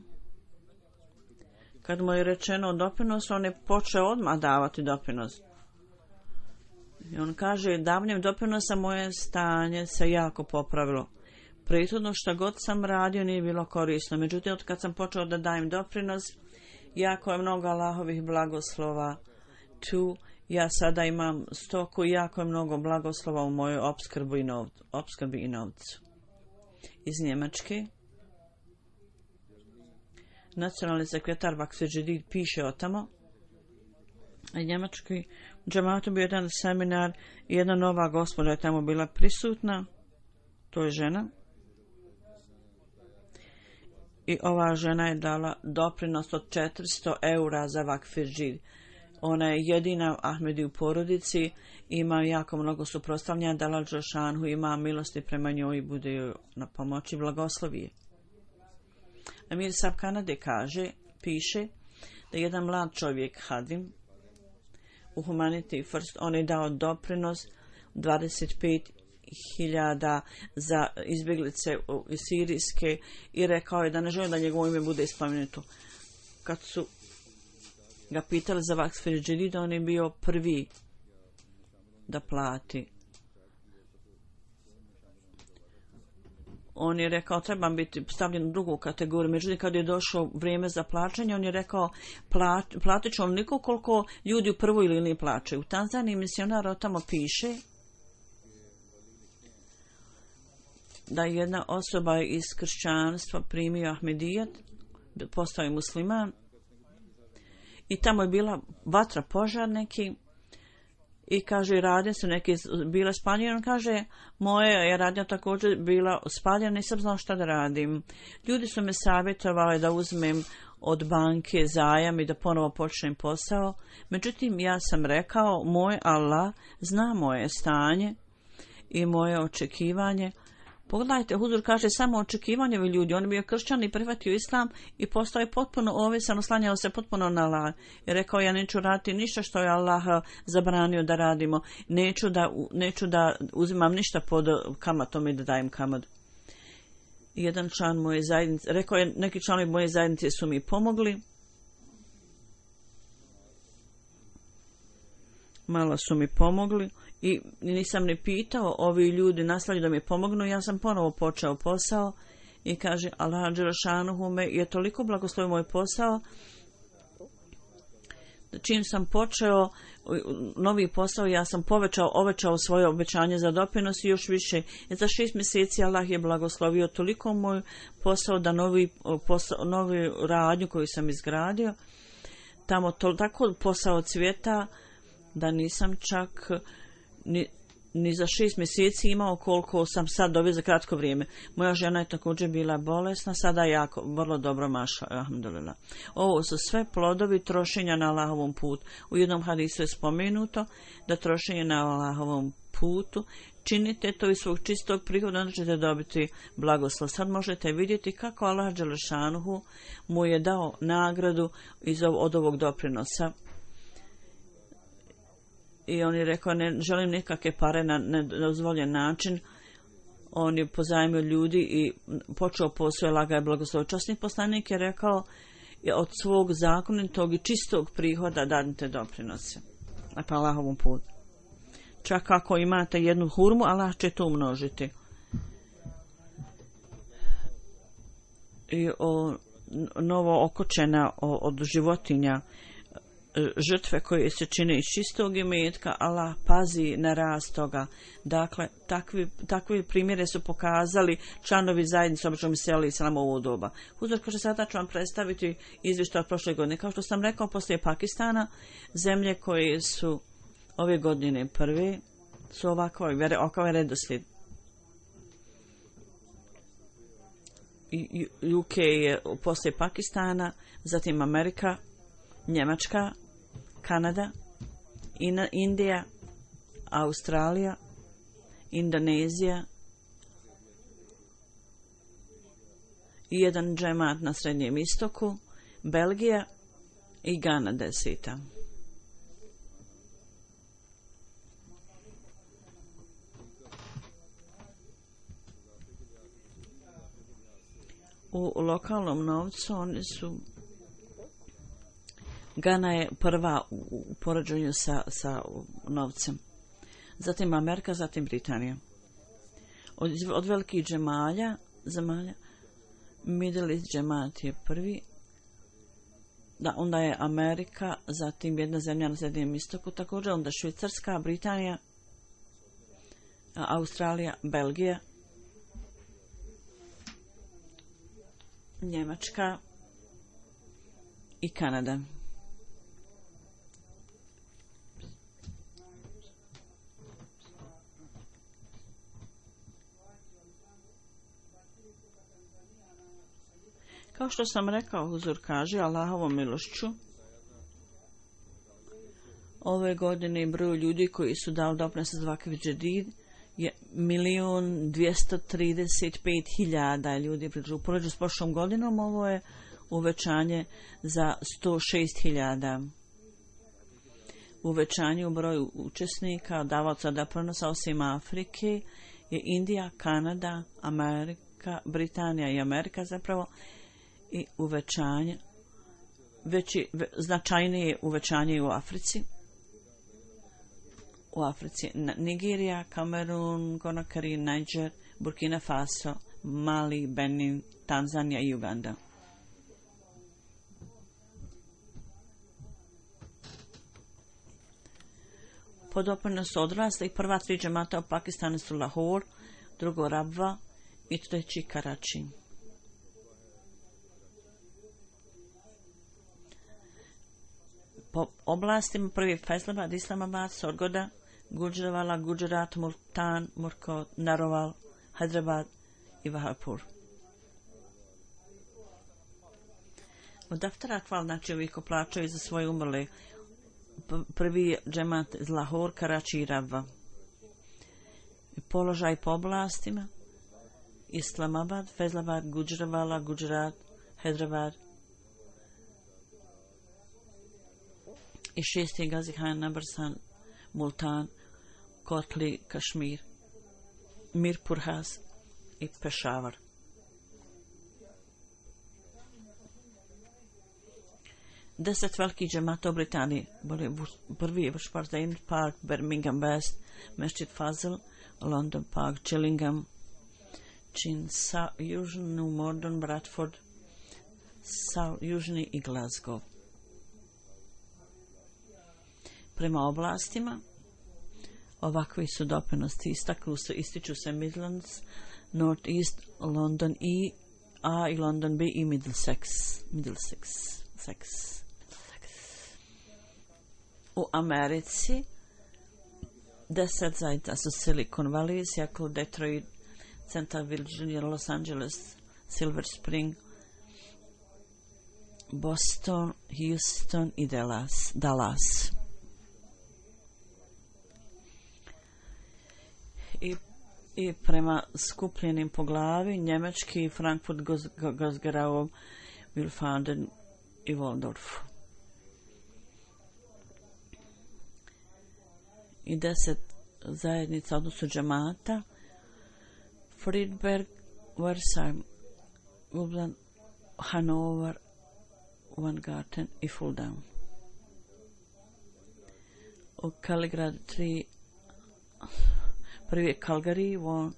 Kad mu je rečeno doprinos, on je počeo odmah davati doprinos. I on kaže, davanjem doprinosa moje stanje se jako popravilo. Prethodno što god sam radio nije bilo korisno. Međutim, od kad sam počeo da dajem doprinos, jako je mnogo Allahovih blagoslova tu. Ja sada imam stoku i jako je mnogo blagoslova u mojoj opskrbi i, novcu, opskrbi i novcu. Iz Njemačke. Nacionalni sekretar Vakfidži piše o tamo. A njemački džematu bio jedan seminar i jedna nova gospođa je tamo bila prisutna. To je žena. I ova žena je dala doprinos od četiristo eura za Vakfidži. Ona je jedina Ahmedi u porodici, ima jako mnogo suprotstavljanja, Dalal Džošanhu ima milosti prema njoj i bude joj na pomoći, blagoslovije. Amir Sab Kanade kaže, piše da jedan mlad čovjek Hadim u Humanity First, on je dao doprinos dvadeset pet hiljada za izbjeglice sirijske i rekao je da ne želi da njegovo ime bude spomenuto. Kad su ga pitali za Vakfidži, da on je bio prvi da plati. On je rekao, trebam biti stavljen u drugu kategoriju. Međutim, kad je došlo vrijeme za plaćanje, on je rekao, platit ću onoliko koliko ljudi u prvoj liniji plaćaju. U Tanzaniji misionar o tamo piše da jedna osoba iz kršćanstva primio Ahmedijat, postao je musliman, i tamo je bila vatra, požar neki, i kaže, radnje su neke bile spaljene. On kaže, moja je radnja također bila spaljena, nisam znao šta da radim. Ljudi su me savjetovali da uzmem od banke zajam i da ponovo počnem posao. Međutim, ja sam rekao, moj Allah zna moje stanje i moje očekivanje. Pogledajte, Huzur kaže samo očekivanjevi ljudi. On je bio kršćan i prihvatio islam i postao je potpuno ovisan, oslanjao se potpuno na Allah. I rekao, ja neću raditi ništa što je Allah zabranio da radimo. Neću da, neću da uzimam ništa pod kamatom i da dajem kamad. Jedan član moje zajednice, rekao je, neki članovi moje zajednice su mi pomogli. malo su mi pomogli i nisam ni pitao, ovi ljudi nastavljaju da mi pomognu, ja sam ponovo počeo posao i kaže Allah dželešanuhu me je toliko blagoslovio moj posao, čim sam počeo novi posao, ja sam povećao, ovećao svoje obećanje za doprinos i još više. I za šest mjeseci Allah je blagoslovio toliko moj posao da novi posao, novi radnju koju sam izgradio, tamo to, tako posao cvjeta da nisam čak ni, ni za šest mjeseci imao koliko sam sad dobio za kratko vrijeme. Moja žena je također bila bolesna, sada je jako, vrlo dobro maša, alhamdulillah. Ovo su sve plodovi trošenja na Allahovom putu. U jednom hadisu je spomenuto da trošenje na Allahovom putu činite to iz svog čistog prihoda, onda ćete dobiti blagoslov. Sad možete vidjeti kako Allah dželešanuhu mu je dao nagradu iz ov, od ovog doprinosa. I on je rekao, ne želim nikakve pare na nedozvoljen način. On je pozajmio ljudi i počeo posao, laga je blagoslovio. Časni poslanik je rekao, od svog zakonitog i čistog prihoda dadite doprinose. Na Allahovom putu. Čak ako imate jednu hurmu, Allah će to umnožiti. I o, novo okočena od životinja, žrtve koje se čine iz čistog imetka, Allah pazi na rast toga. Dakle, takvi, takvi primjere su pokazali članovi zajednice običnom seli samo u ovo doba. Huzur kaže, sada ću vam predstaviti izvještaj od prošle godine. Kao što sam rekao, poslije Pakistana, zemlje koje su ove godine prve su ovako, ovakav redoslijed. U K je poslije Pakistana, zatim Amerika, Njemačka, Kanada, Indija, Australija, Indonezija i jedan džemat na Srednjem istoku, Belgija i Gana deseta. U lokalnom novcu oni su Gana je prva u poređenju sa, sa novcem. Zatim Amerika, zatim Britanija. Od, od velikih džemalja, zemalja, Middle East džemat je prvi, da, onda je Amerika, zatim jedna zemlja na Srednjem istoku, također onda Švicarska, Britanija, Australija, Belgija, Njemačka i Kanada. Kao što sam rekao, Huzur kaže, Allahovom milošću, ove godine broj ljudi koji su dali doprinos za vakf džedid je milion dvjesto trideset pet hiljada ljudi. U poređenju s prošlom godinom ovo je uvećanje za sto šest hiljada. Uvećanje u broju učesnika, davaoca doprinosa osim Afrike je Indija, Kanada, Amerika, Britanija i Amerika zapravo, i uvećanje, veći, ve, značajnije uvećanje u Africi. U Africi Nigerija, Kamerun, Konakari, Niger, Burkina Faso, Mali, Benin, Tanzanija i Uganda. Po doprinosu odraslih prva tri džemata u Pakistanu su Lahore, drugo Rabva i treći Karači. Po oblastima prvi Faisalabad, Islamabad, Sorgoda, Gujranwala, Gujarat, Multan, Murkot, Narowal, Hyderabad i Vahapur. Od daftara hval, znači ovi ko plaćaju za svoje umrle, prvi džemat iz Lahore, Karači i Rabva. Položaj po oblastima Islamabad, Faisalabad, Gujranwala, Gujarat, Hyderabad i šesti Gazi Khan, Nabarsan, Multan, Kotli, Kašmir, Mirpur Has i Pešavar. deset velikih džemata u Britaniji. Prvi je Bush Park, Birmingham West, Masjid Fazl, London Park, Gillingham, Chin, Južni Morden, Bradford, South, Južni i Glasgow. Prema oblastima, ovakvi su doprinosti istaklu se, ističu se Midlands, North East, London i A i London B i Middlesex. Middlesex. Sex. U Americi deset zajednica su Silicon Valley, Seattle, Detroit, Central Virginia, Los Angeles, Silver Spring, Boston, Houston i Dallas. Dallas. I, i prema skupljenim po glavi njemački Frankfurt, Gosgarau, Wilfanden i Waldorf. I deset zajednica, odnosno džemata, Friedberg, Versheim, Lublin, Hanover, Weingarten i Fulda. U Kaligrad tri, prvi je Calgary, Vaughan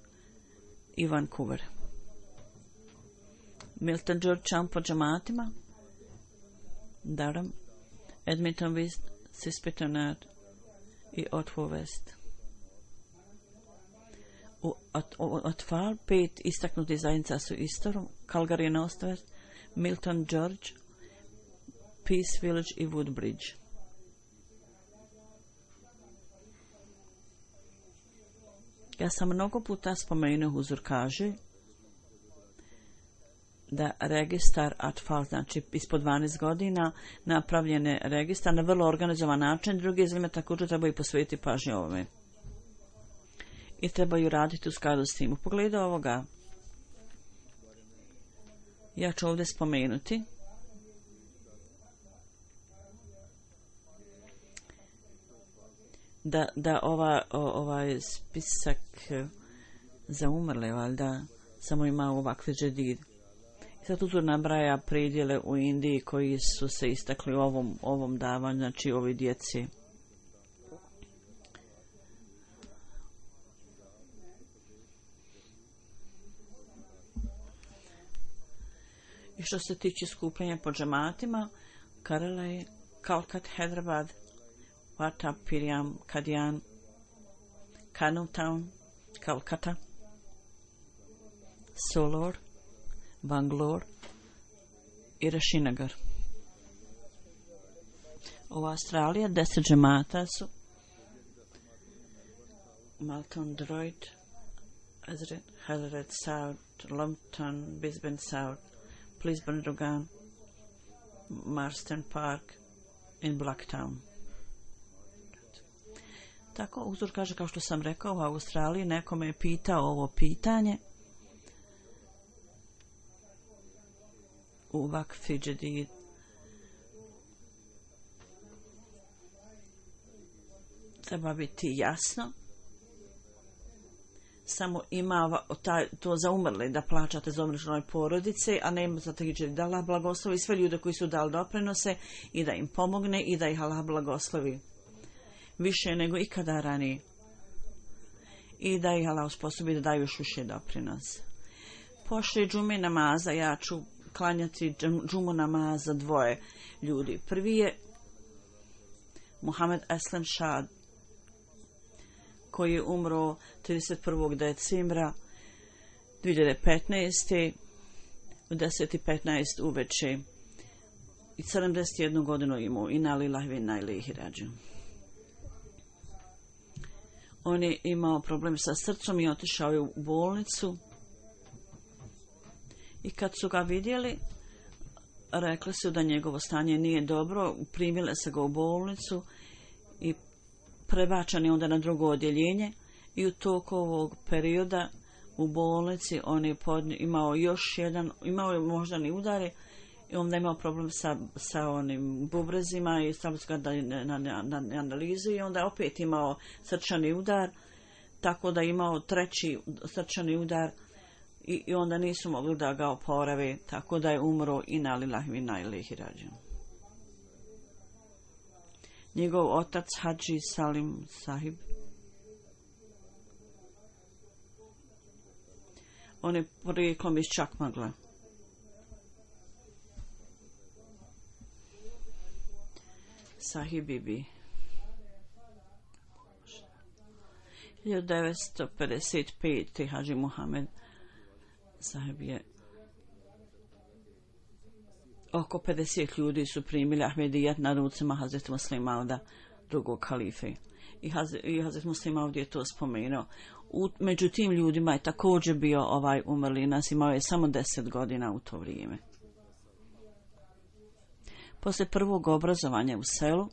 i Vancouver. Milton Georgetown po džematima, Durham, Edmonton West, Sispitonard i Ottawa West. U Atfal pet istaknutih zajednica su Istorom, Calgary Northwest, Milton George, Peace Village i Woodbridge. Ja sam mnogo puta spomenuo, Huzur kaže da registar Atfal, znači ispod dvanaest godina, napravljen je registar na vrlo organizovan način. Drugi izgleda također trebaju posvetiti pažnju ovome. I trebaju raditi u skladu s tim. U pogledu ovoga, ja ću ovdje spomenuti da, da ova, o, ovaj spisak za umrle, valjda, samo ima ovakve džedid. I sad tu nabraja predjele u Indiji koji su se istakli u ovom, ovom davanju, znači ovi djeci. I što se tiče skupljanja po džematima, Karelaj, Kalkat, Hyderabad, Vata, Piriam, Kadian, Kanewtown, Calcutta, Solor, Bangalore i Rashinagar. U Australiji deset džemata su Malton, Droid, Hazard South, Lumpton, Brisbane South, Brisbane, Rogan, Marsden Park in Blacktown. Tako, uzor kaže, kao što sam rekao, u Australiji neko me je pitao ovo pitanje u vakfi džedid. Treba biti jasno, samo ima taj, to za umrle da plaćate za umrle porodice, a ne za te da Allah blagoslovi sve ljude koji su dali doprinose i da im pomogne i da ih Allah blagoslovi više nego ikada ranije i da ih Allah usposobi da daju još više doprinos. Pošli džume namaza, ja ću klanjati džumu namaza dvoje ljudi. Prvi je Muhammed Aslam Shah, koji je umro trideset prvog decembra dvije hiljade petnaeste u deset i petnaest uveče i sedamdeset jednu godinu imao. Inna lillahi wa inna ilaihi rađiun. On je imao problem sa srcem i otišao je u bolnicu i kad su ga vidjeli rekli su da njegovo stanje nije dobro, primile se ga u bolnicu i prebačen je onda na drugo odjeljenje i u toku ovog perioda u bolnici on je podnio, imao još jedan, imao je moždani udare i onda je imao problem sa, sa onim bubrezima i stavili su ga na, na, na, na analizu i onda opet imao srčani udar, tako da je imao treći srčani udar i, i onda nisu mogli da ga oporave, tako da je umro inna lillahi wa inna ilaihi rađiun. Njegov otac Hadži Salim Sahib. On je porijeklom iz Čakmagla. Sahib Bibi. hiljadu devetsto pedeset pete. Hadži Muhamed Sahib je oko pedeset ljudi su primili Ahmedijat na rucima Hazreti Muslima Mauda, drugog halife. I, Haz, i Hazreti Muslima Maud je to spomenuo. U, među tim ljudima je također bio ovaj umrli nas, imao je samo deset godina u to vrijeme. Poslije prvog obrazovanja u selu,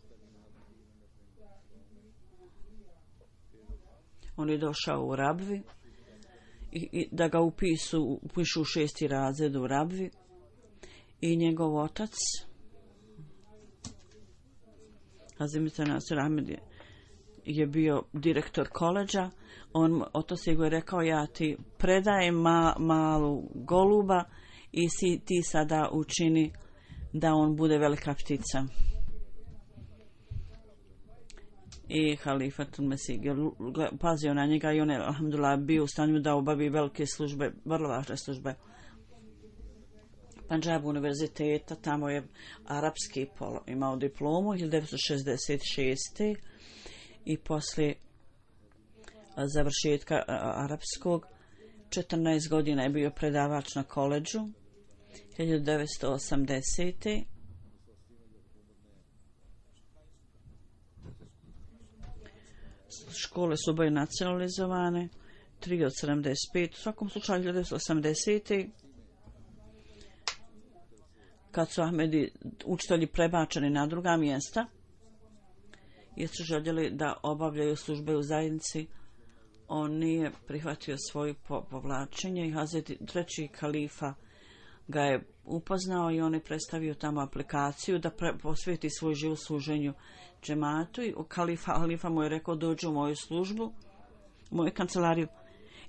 on je došao u Rabvi i, i da ga upisu, upišu u šesti razred u Rabvi. I njegov otac, Hazimita Nasir Ahmed, je, je bio direktor koleđa. On, otac je go rekao, ja ti predajem ma, malu goluba i si ti sada učini da on bude velika ptica. I halifatul Mesih je pazio na njega i on je, alhamdulillah, bio u stanju da obavi velike službe, vrlo važne službe. Pandžab univerziteta, tamo je arapski polo, imao diplomu hiljadu devetsto šezdeset šeste. i poslije završetka arapskog četrnaest godina je bio predavač na koleđu. hiljadu devetsto osamdesete. Škole su oboje nacionalizovane, tri od sedamdeset pet. U svakom slučaju hiljadu devetsto osamdesete. kad su Ahmedi učitelji prebačeni na druga mjesta, jer su željeli da obavljaju službe u zajednici, on nije prihvatio svoje povlačenje i Hazreti treći kalifa ga je upoznao i on je predstavio tamo aplikaciju da pre, posvijeti svoj život služenju džematu i kalifa, kalifa mu je rekao dođi u moju službu, u moju kancelariju.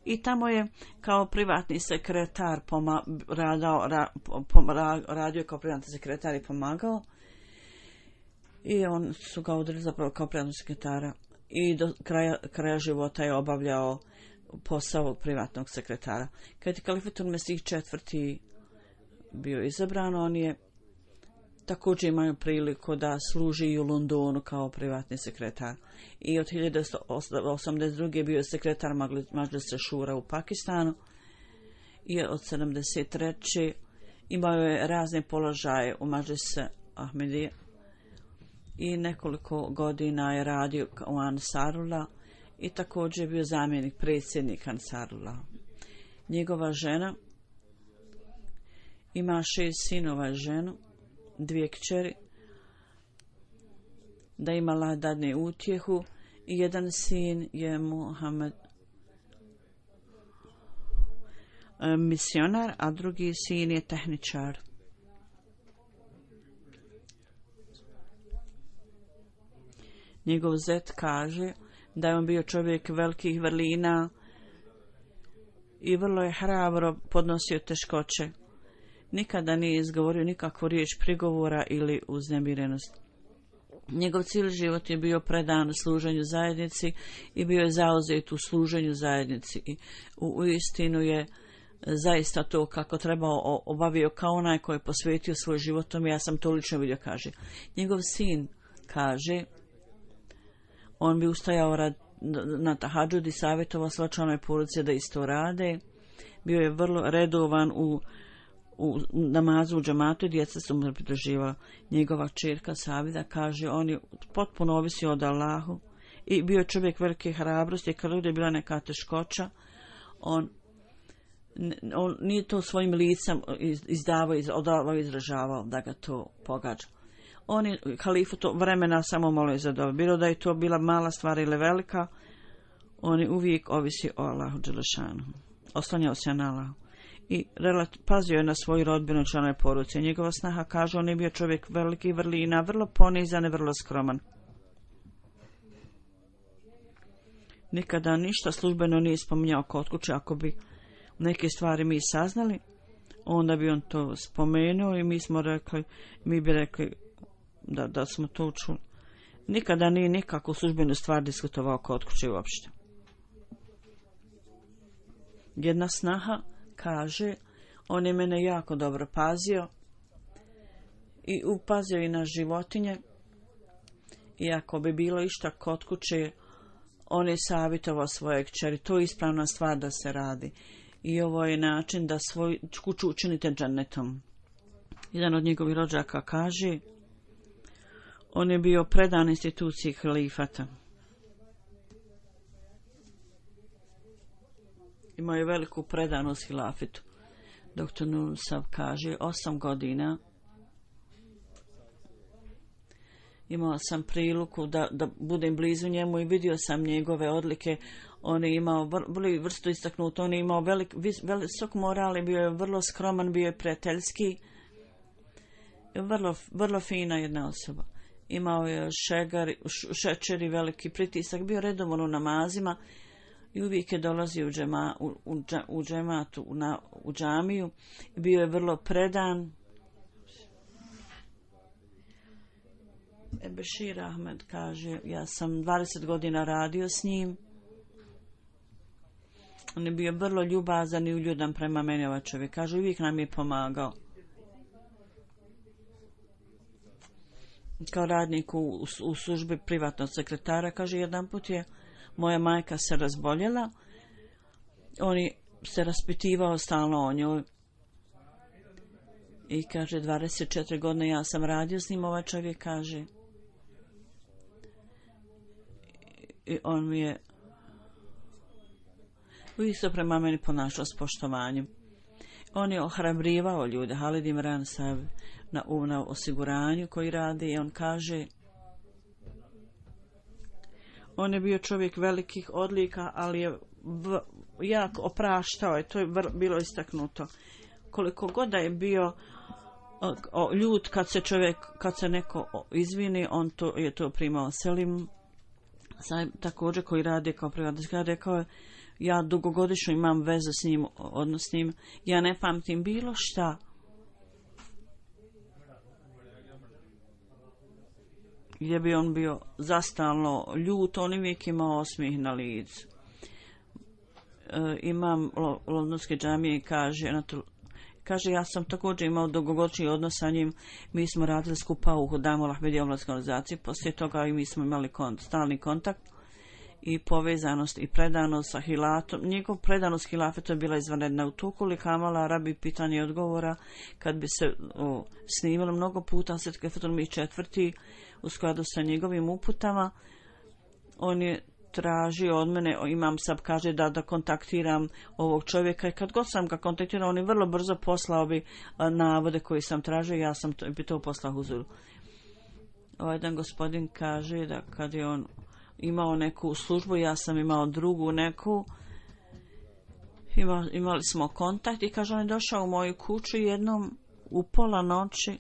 I tamo je kao privatni sekretar poma, radao, ra, pom, ra, radio kao privatni sekretar i pomagao. I on su ga odredili zapravo kao privatnog sekretara. I do kraja, kraja života je obavljao posao privatnog sekretara. Kad je Kalifatul Mesih četvrti bio izabran, on je također imao priliku da služi i u Londonu kao privatni sekretar. I od hiljadu devetsto osamdeset druge bio sekretar Mađlisa Šura u Pakistanu. I od sedamdeset treće imao je razne položaje u Mađlisa Ahmedije. I nekoliko godina je radio u Ansarullah i također je bio zamjenik predsjednika Ansarullah. Njegova žena ima šest sinova i ženu, dvije kćeri, da imala dadne utjehu i jedan sin je Muhammed misionar, a drugi sin je tehničar. Njegov zet kaže da je on bio čovjek velikih vrlina i vrlo je hrabro podnosio teškoće. Nikada nije izgovorio nikakvu riječ prigovora ili uznemirenost. Njegov cijeli život je bio predan služenju zajednici i bio je zauzet u služenju zajednici. I u, u istinu je zaista to kako trebao obavio kao onaj koji je posvetio svoj životom. Ja sam to lično vidio, kaže. Njegov sin kaže, on bi ustajao rad, na tahadžud i savjetovao svoje članove porodice da isto rade. Bio je vrlo redovan u, u namazu u džamatu i djeca su mu pridruživala. Njegova čerka Savida kaže, on je potpuno ovisio od Allahu i bio čovjek velike hrabrosti. Kad je bila neka teškoća, on, on nije to svojim licem izdavao, odavao, izražavao da ga to pogađa. On je halifu to vremena samo molio za dobu. Bilo da je to bila mala stvar ili velika, on je uvijek ovisi o Allahu dželešanu. Oslanjao se na Allahu. I pazio je na svoju rodbinu, članove porodice. Njegova snaha kaže, on je bio čovjek veliki vrlina, vrlo ponizan i vrlo skroman. Nikada ništa službeno nije spominjao kod kuće. Ako bi neke stvari mi saznali, onda bi on to spomenuo i mi smo rekli, mi bi rekli da, da smo to čuli. nikada nije nikakvu službenu stvar diskutovao kod kuće uopšte. Jedna snaha kaže, on je mene jako dobro pazio i upazio i na životinje. I ako bi bilo išta kod kuće, on je savjetovao svoje kćeri. To je ispravna stvar da se radi. I ovo je način da svoju kuću učinite džennetom. Jedan od njegovih rođaka kaže, on je bio predan instituciji halifata. Imao je veliku predanost hilafetu. Doktor Nursav kaže, osam godina imao sam priliku da, da budem blizu njemu i vidio sam njegove odlike. On je imao vrlo vrsto istaknuto, on je imao velik, vis, visok moral i bio je vrlo skroman, bio je prijateljski. Vrlo, vrlo fina jedna osoba. Imao je šegar, šećer i veliki pritisak, bio redovan u namazima i uvijek je dolazio u, džema, u, u, u džematu, u, na, u džamiju. Bio je vrlo predan. Bešir Ahmed kaže, ja sam dvadeset godina radio s njim. On je bio vrlo ljubazan i uljudan prema meni, ovaj čovjek. Kaže, uvijek nam je pomagao. Kao radnik u, u službi privatnog sekretara, kaže, jedan put je moja majka se razboljela. On je se raspitivao stalno o njoj. I kaže, dvadeset četiri godine ja sam radio s njim, ovaj čovjek kaže. I on mi je uvijek se prema meni ponašao s poštovanjem. On je ohrabrivao ljude. Halid Imran Sav na, na osiguranju koji radi i on kaže, on je bio čovjek velikih odlika, ali je v, jako opraštao je, to je vr, bilo istaknuto. Koliko god da je bio o, o, ljud kad se čovjek, kad se neko izvini, on to, je to primao. Selim Saib, također koji radi kao privatnik, rekao je, ja dugogodišnju imam vezu s njim, odnos s njim, ja ne pamtim bilo šta. Gdje bi on bio zastalno ljut, on uvijek imao osmijeh na licu. E, imam Londonske džamije kaže, kaže, ja sam također imao dugogodišnji odnos sa njim, mi smo radili skupa u Hudamu Ahmedija omladskoj organizaciji, poslije toga i mi smo imali kont, stalni kontakt i povezanost i predanost sa hilatom. Njegov predanost hilafetu je bila izvanredna. U toku li Kamala Arabi pitanje i odgovora, kad bi se o, snimalo mnogo puta, Svetke Fatul četvrti u skladu sa njegovim uputama, on je tražio od mene, imam sad kaže da da kontaktiram ovog čovjeka i kad god sam ga kontaktirao, on je vrlo brzo poslao bi a, navode koje sam tražio, ja sam to, bi to poslao Huzuru. Ovaj jedan gospodin kaže da kad je on imao neku službu, ja sam imao drugu neku, Ima, imali smo kontakt i kaže, on je došao u moju kuću jednom u pola noći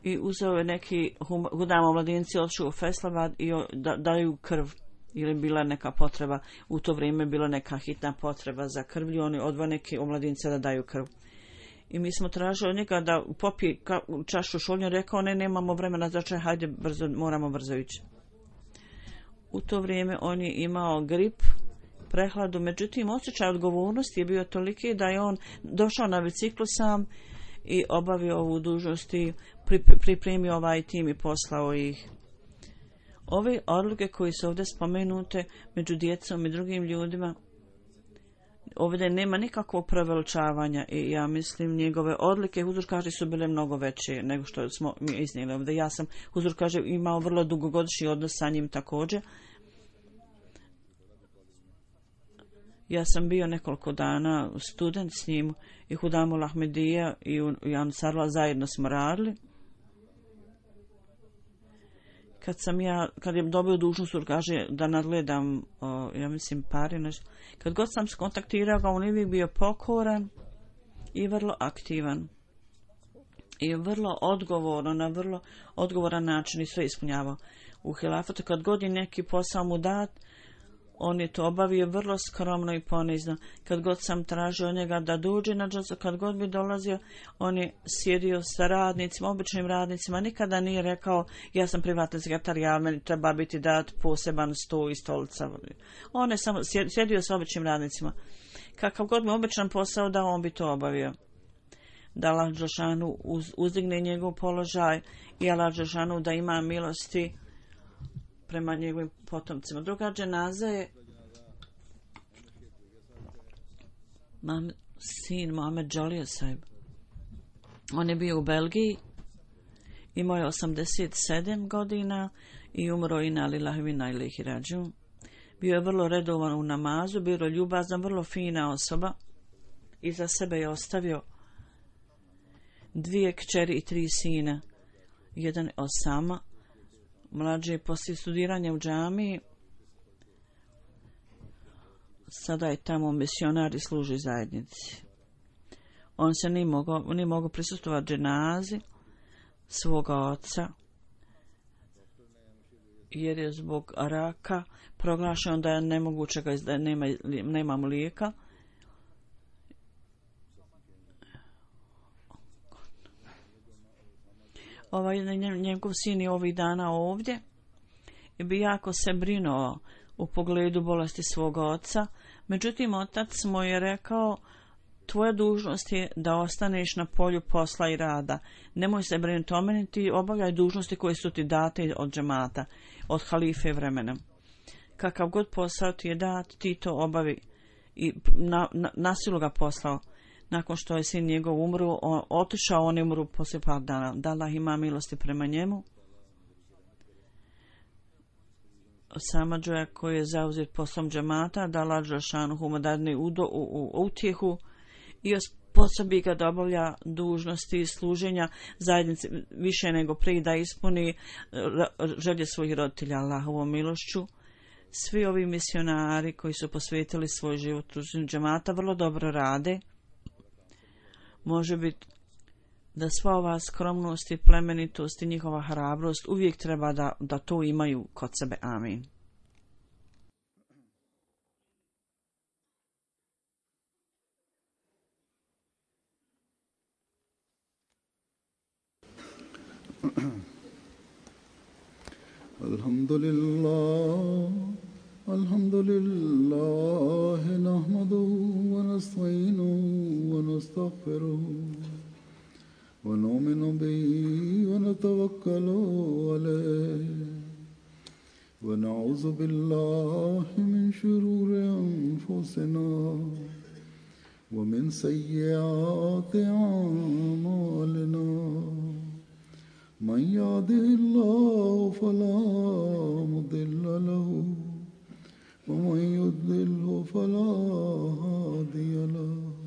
i uzeo je neki hudamo mladinci, odšao u Feslavad i da, daju krv ili bila neka potreba, u to vrijeme bila neka hitna potreba za krvlju, oni odvoj neke omladince da daju krv. I mi smo tražili od njega da popije čašu šolnja, rekao, ne, nemamo vremena za čaj, hajde, brzo, moramo brzo ići. U to vrijeme on je imao grip, prehladu, međutim, osjećaj odgovornosti je bio toliki da je on došao na biciklu sam i obavio ovu dužnost i pripremio ovaj tim i poslao ih. Ove odluke koje su ovdje spomenute među djecom i drugim ljudima, ovdje nema nikakvog preveličavanja i ja mislim njegove odlike, Huzur kaže, su bile mnogo veće nego što smo mi iznijeli ovdje. Ja sam, Huzur kaže, imao vrlo dugogodišnji odnos sa njim također. Ja sam bio nekoliko dana student s njim i Hudamul Ahmedija i Jan Sarla zajedno smo radili. Kad sam ja, kad je dobio dužnost, kaže da nadgledam, o, ja mislim, pari nešto. Kad god sam skontaktirao ga, on je uvijek bio pokoran i vrlo aktivan. I vrlo odgovorno, na vrlo odgovoran način i sve ispunjavao. U hilafatu, kad god je neki posao mu dat, On je to obavio vrlo skromno i ponizno. Kad god sam tražio od njega da dođe na dželsu, kad god bi dolazio, on je sjedio sa radnicima, običnim radnicima. Nikada nije rekao, ja sam privatni sekretar, ja meni treba biti dat poseban sto i stolica. On je samo sjedio sa običnim radnicima. Kakav god mi običan posao dao, on bi to obavio. Da Allah dželešanu uz, uzdigne njegov položaj i Allah dželešanu da ima milosti prema njegovim potomcima. Druga dženaza je mam, sin Mohamed Džolija Saib. On je bio u Belgiji, imao je osamdeset sedam godina i umro i na lillahi wa inna ilaihi rađiun. Bio je vrlo redovan u namazu, bio je ljubazan, vrlo fina osoba. Iza sebe je ostavio dvije kćeri i tri sina. Jedan je Osama, mlađi poslije studiranja u džamiji. Sada je tamo misionar i služi zajednici. On se nije mogao, nije mogao prisustvovati dženazi svoga oca, jer je zbog raka proglašeno da je nemoguće ga da nema, nema mu lijeka. Ovaj njegov sin je ovih dana ovdje i bi jako se brinuo u pogledu bolesti svoga oca. Međutim, otac mu je rekao, tvoja dužnost je da ostaneš na polju posla i rada. Nemoj se brinuti o meni, ti obavljaj dužnosti koje su ti date od džemata, od halife vremena. Kakav god posao ti je dat, ti to obavi. I na, na, nasilu ga poslao. Nakon što je sin njegov umro, on, otišao, on je umro poslije par dana. Da Allah ima milosti prema njemu. Sama džoja koji je zauzet poslom džemata, da Allah dželešanu mu dadne utjehu i osposobi ga da obavlja dužnosti služenja zajednici više nego prije, da ispuni želje svojih roditelja Allahovom milošću. Svi ovi misionari koji su posvetili svoj život u džemata vrlo dobro rade. Može biti da sva ova skromnost i plemenitost i njihova hrabrost uvijek treba da, da to imaju kod sebe. Amin. Alhamdulillah, alhamdulillah, nahmaduhu wa nasta'inuhu wa nastaghfiruhu. ونؤمن به ونتوكل عليه ونعوذ بالله من شرور أنفسنا ومن سيئات أعمالنا من يهده الله فلا مضل له ومن يضلل فلا هادي له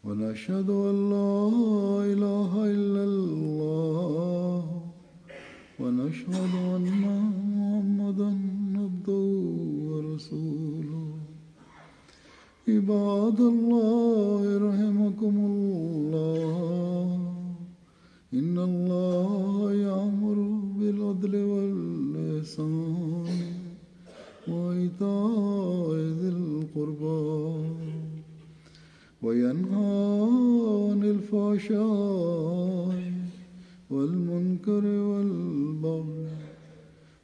ونشهد أن لا إله إلا الله ونشهد أن محمدا عبده ورسوله عباد الله رحمكم الله إن الله يأمر بالعدل والإحسان وإيتاء ذي القربى وينهى عن الفحشاء والمنكر والبغي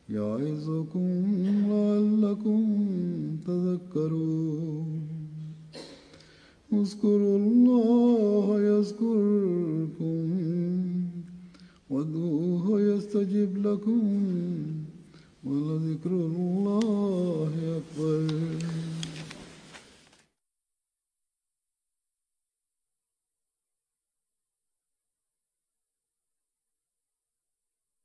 يعظكم لعلكم تذكرون اذكروا الله يذكركم وادعوه يستجب لكم ولذكر الله أكبر.